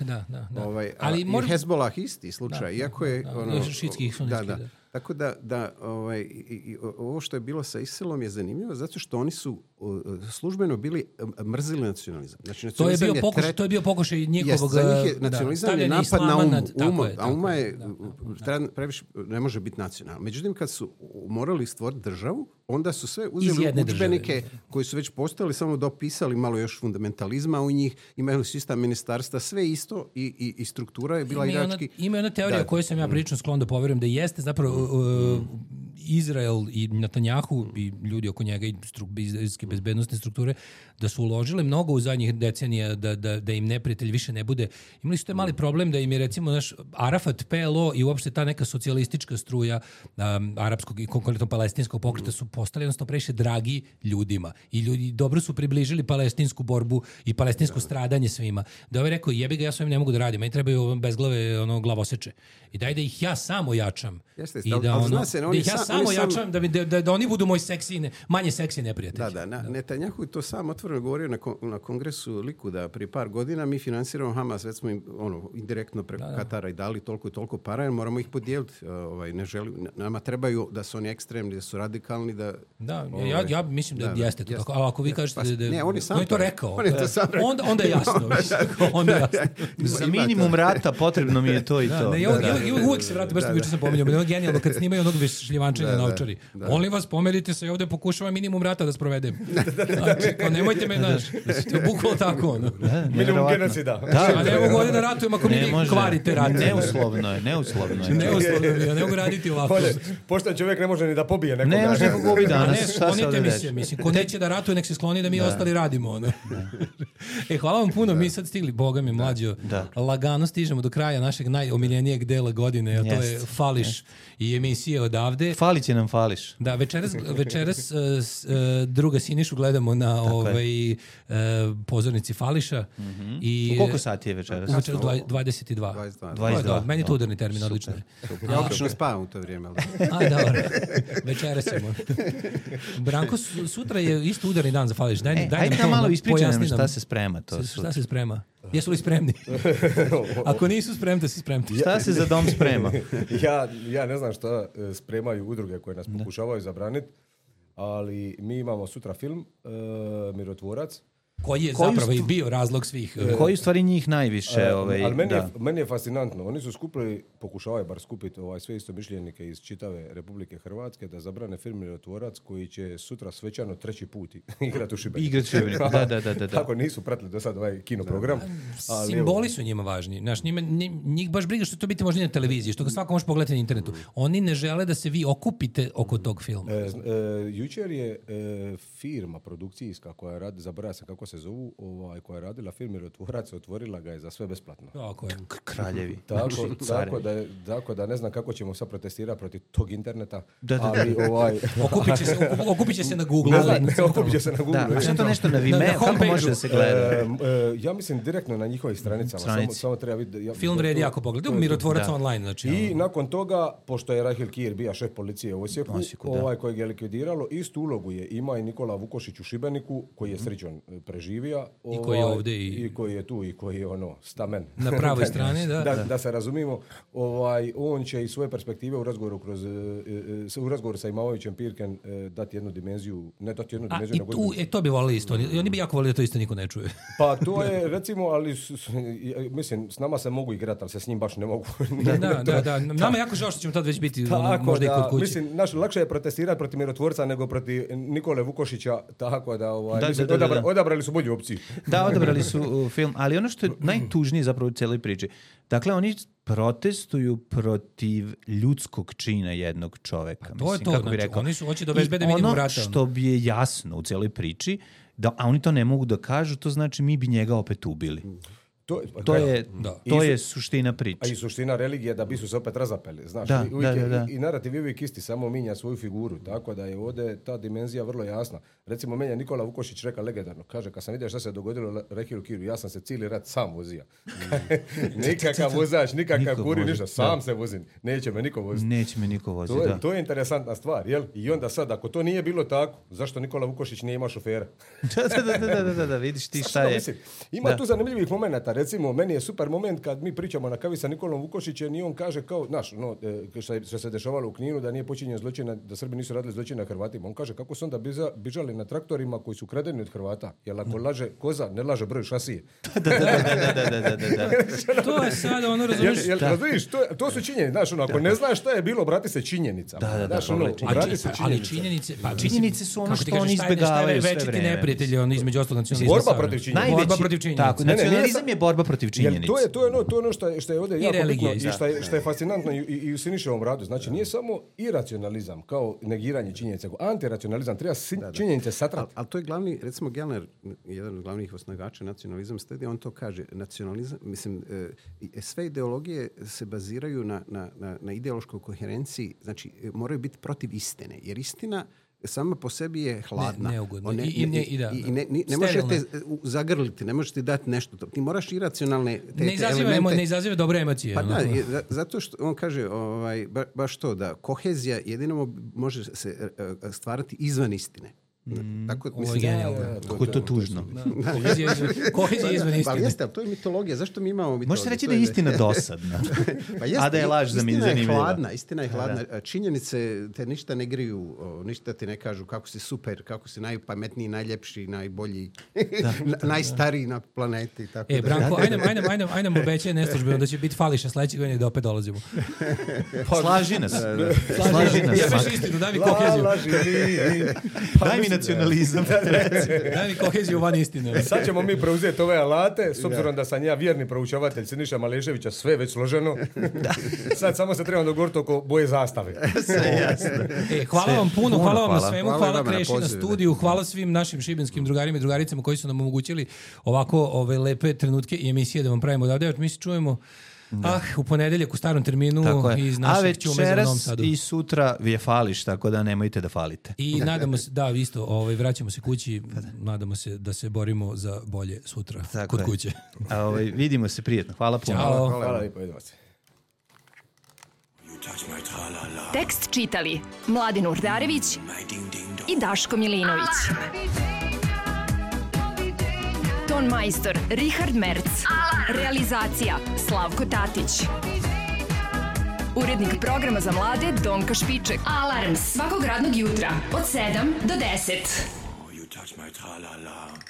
Ali Hezbollah isti slučaj. Iako je... Šitskih sunetskih, da. Tako da ovo što je bilo sa ISIL-om je zanimljivo zato što oni su službeno bili mrzili nacionalizam. Znači, nacionalizam to je bio pokušaj njihovog nacionalizam je napad na a uma je previše ne može biti nacionalna. Međutim, kad su morali stvoriti državu, onda su sve uzeli udžbenike koji su već postojali, samo dopisali malo još fundamentalizma u njih, imaju sistem ministarstva, sve isto i struktura je bila irački. Ima jedna teorija koju sam ja prilično sklon da poverujem da jeste zapravo Izrael i Netanjahu i ljudi oko njega i izraelske bezbednostne strukture da su uložile mnogo u zadnjih decenija da im neprijatelj više ne bude. Imali su taj mali problem da im je recimo naš Arafat, PLO i uopšte ta neka socijalistička struja arapskog i konkretno palestinskog pokreta su postali jednostavno previše dragi ljudima i ljudi dobro su približili palestinsku borbu i palestinsko stradanje svima. Da ovaj rekao, jebi ga, ja s ovim ne mogu da radim, meni trebaju bezglave glavoseče. I daj da ih ja samo jačam. I da ih ja samo jačam da oni budu moj manje seksi neprijatelji. Netanjahu to sam otvoreno govorio na kongresu Likuda prije par godina. Mi finansiramo Hamas, već smo im indirektno preko Katara i dali toliko i toliko para, moramo ih podijeliti. Nama trebaju da su oni ekstremni, da su radikalni. Ja mislim da jeste to tako. A ako vi kažete da on je to rekao, onda je jasno. Za minimum rata potrebno mi je to i to. Uvijek se vrati, baš što juče sam pominjao, ono genijalno kad snimaju onog šljivančenja na Ovčari. Molim vas, pomerite se, ovdje pokušavam minimum rata da sprovedem. Znači, nemojte me, to je bukvalo tako. Minimum genocida. A ne mogu ovdje da ratujem ako mi kvarite rat. Neuslovno je. Ja ne mogu raditi ovako. Pošten čovjek ne može ni da pobije nekoga. Ne može da pogubi danas. Sklonite mi se, mislim, ko neće da ratuje, nek se skloni da mi ostali radimo. Hvala vam puno, mi sad stigli, Boga mi mlađo. Lagano stižemo do kraja našeg najomiljenijeg dela godine, a to je Fališ i emisije odavde. Fali će nam Fališ. Da, večeras druga Sinišu gledamo na pozornici Fališa. U koliko sati je večeras? Večeras 22. Meni je to udarni termin, odlično. Ja obično spavam u to vrijeme. Dobro. Večeras ćemo. Branko, sutra je isto udarni dan za Fališ. Ajde nam malo ispričaj nam šta se sprema. Šta se sprema? Jesu li spremni? Ako nisu spremni, da si spremni. Šta se za dom sprema? Ja ne znam šta spremaju udruge koje nas pokušavaju zabraniti, ali mi imamo sutra film Mirotvorac. Koji je zapravo i bio razlog svih... Koji u stvari njih najviše... Ali meni je fascinantno. Oni su skupili, pokušavaju bar skupiti sve istomišljenike iz čitave Republike Hrvatske da zabrane film Mirotvorac koji će sutra svečano 3. put igrati u Šibeniku. Da. Tako nisu pratili do sad ovaj kinoprogram. Simboli su njima važni. Znaš, njih baš briga što to biti možda na televiziji, što ga svako može pogledati na internetu. Oni ne žele da se vi okupite oko tog filma. Jučer je firma produkcijska koja radi, zaboravio sam kako se zovu, koja je radila film Mirotvorac, otvorila ga je za sve besplatno. Tako je. Kraljevi. Tako da ne znam kako ćemo sad protestirati protiv tog interneta. Ali okupit će se na Google. Okupit će se na Google. A što to nešto na Vimeo? Kako može da se gleda? Ja mislim direktno na njihovih stranicama. Samo treba vidjeti. Film vredi jako pogledati. Mirotvorac online. Znači, i nakon toga, pošto je Rahil Kir bio šef policije u Osijeku, kojeg je likvidiralo, istu ulogu je ima i Nikola Vukošić u Šibeniku, koji je srećom preživio. I koji je ovdje i koji je tu i koji je stamen. Na pravoj strani, da se razumimo. On će iz svoje perspektive u razgovoru sa Imamovićem Pirken dati jednu dimenziju, ne dati jednu dimenziju. To bi volili isto. Oni bi jako volili da to isto niko ne čuje. Pa to je, recimo, ali mislim, s nama se mogu igrati, ali se s njim baš ne mogu. Da. Nama je jako žao što ćemo tad već biti možda i kod kuće. Mislim, lakše je protestirati protiv Mirotvorca nego protiv Nikole Vukošića, tako da odabrali su bolju opciju. Da, odabrali su film, ali ono što je najtužnije zapravo u cijeloj priči, dakle, oni protestuju protiv ljudskog čina jednog čoveka. To je to, kako bi rekao. Oni su hoće da obezbede minimum rata. Ono što bi je jasno u cijeloj priči, a oni to ne mogu da kažu, to znači mi bi njega opet ubili. To je suština priče. A i suština religije da bi su se opet razapeli. Znaš, i narativ je uvijek isti, samo minja svoju figuru. Tako da je ovdje ta dimenzija vrlo jasna. Recimo, meni je Nikola Vukošić rekao legendarno. Kaže, kad sam vidio šta se dogodilo Rahilu Kiru, ja sam se cijeli rat sam vozio. Nikakav vozač, nikakav kuri, ništa. Sam se vozim. Neće me niko voziti. To je interesantna stvar. Jel? I onda sad, ako to nije bilo tako, zašto Nikola Vukošić nije imao šofera? Da, vidiš ti šta je. Ima tu zanimljivih momenata. Recimo, meni je super moment kad mi pričamo na kavi sa Nikolom Vukošićem i on kaže kao, znaš, što se dešavalo u Kninu, da nije počinjen zločin, da Srbi nisu radili zločin na Hrvatima. On kaže kako su onda bižali na traktorima koji su kradeni od Hrvata. Jer ako laže koza, ne laže broj šasije. To je sad, ono razumiješ. To su činjenice. Znaš, ako ne znaš šta je bilo, obrati se činjenicama. Ali činjenice su ono što oni izbjegavaju sve vreme. Večiti neprijatelji, između ostalog nacionalizma. Borba protiv činjenica. Nacionalizam je borba protiv činjenica. To je ono što je ovdje jako bitno i što je fascinantno i u Siniševom radu. Znači, nije samo iracionalizam kao negiranje činjenica, nego antiracionalizam. Treba činjenice satrati. Ali to je glavni, recimo Gellner, jedan od glavnih osnivača nacionalizam studija, on to kaže. Nacionalizam, mislim, sve ideologije se baziraju na ideološkoj koherenciji, znači moraju biti protiv istine, jer istina sama po sebi je hladna. Neugodno. Ne možete zagrliti, ne možete dati nešto. Ti moraš iracionalne elemente. Ne izaziva dobre emocije. Pa da, zato što on kaže baš to, da kohezija jedino može se stvarati izvan istine. Tako, kako je to tužno. Kohezija izvan istine. Ali jeste, to je mitologija. Zašto mi imamo mitologiju? Možete reći da je istina dosadna. A da je laž za mene zanimljiva. Istina je hladna. Činjenice te ništa ne griju, ništa ti ne kažu kako si super, kako si najpametniji, najljepši, najbolji, najstariji na planeti. Tako Branko, aj nam obećaj neslužbeno da će biti fališa sledećeg godina i da opet dolazimo. Slaži nas. Ja veš istinu, daj mi koheziju. Daj mi nacionalizam. Daj mi koheziju van istine. Sad ćemo mi preuzeti ove alate, s obzirom da sam ja vjerni proučavatelj Siniša Maleševića, sve već složeno. Sad samo se trebamo dogovoriti oko boje zastave. Hvala vam puno, hvala vam na svemu, hvala Kreši na studiju, hvala svim našim šibenskim drugarima i drugaricama koji su nam omogućili ovako ove lepe trenutke i emisije da vam pravimo odavde. Mi se čujemo u ponedeljak u starom terminu iz našeg Ćume za Novom Sadu. I sutra vi je fališ, tako da nemojte da falite. I nadamo se, isto, vraćamo se kući, nadamo se da se borimo za bolje sutra kod kuće. Vidimo se prijetno. Hvala puno. Ćao. Hvala lijepo, idemo se. Tekst čitali Mladin Urdarević i Daško Milinović. Ton majstor Richard Merc. Realizacija Slavko Tatić. Urednik programa za mlade Donka Špiček. Alarms svakog radnog jutra od 7 do 10.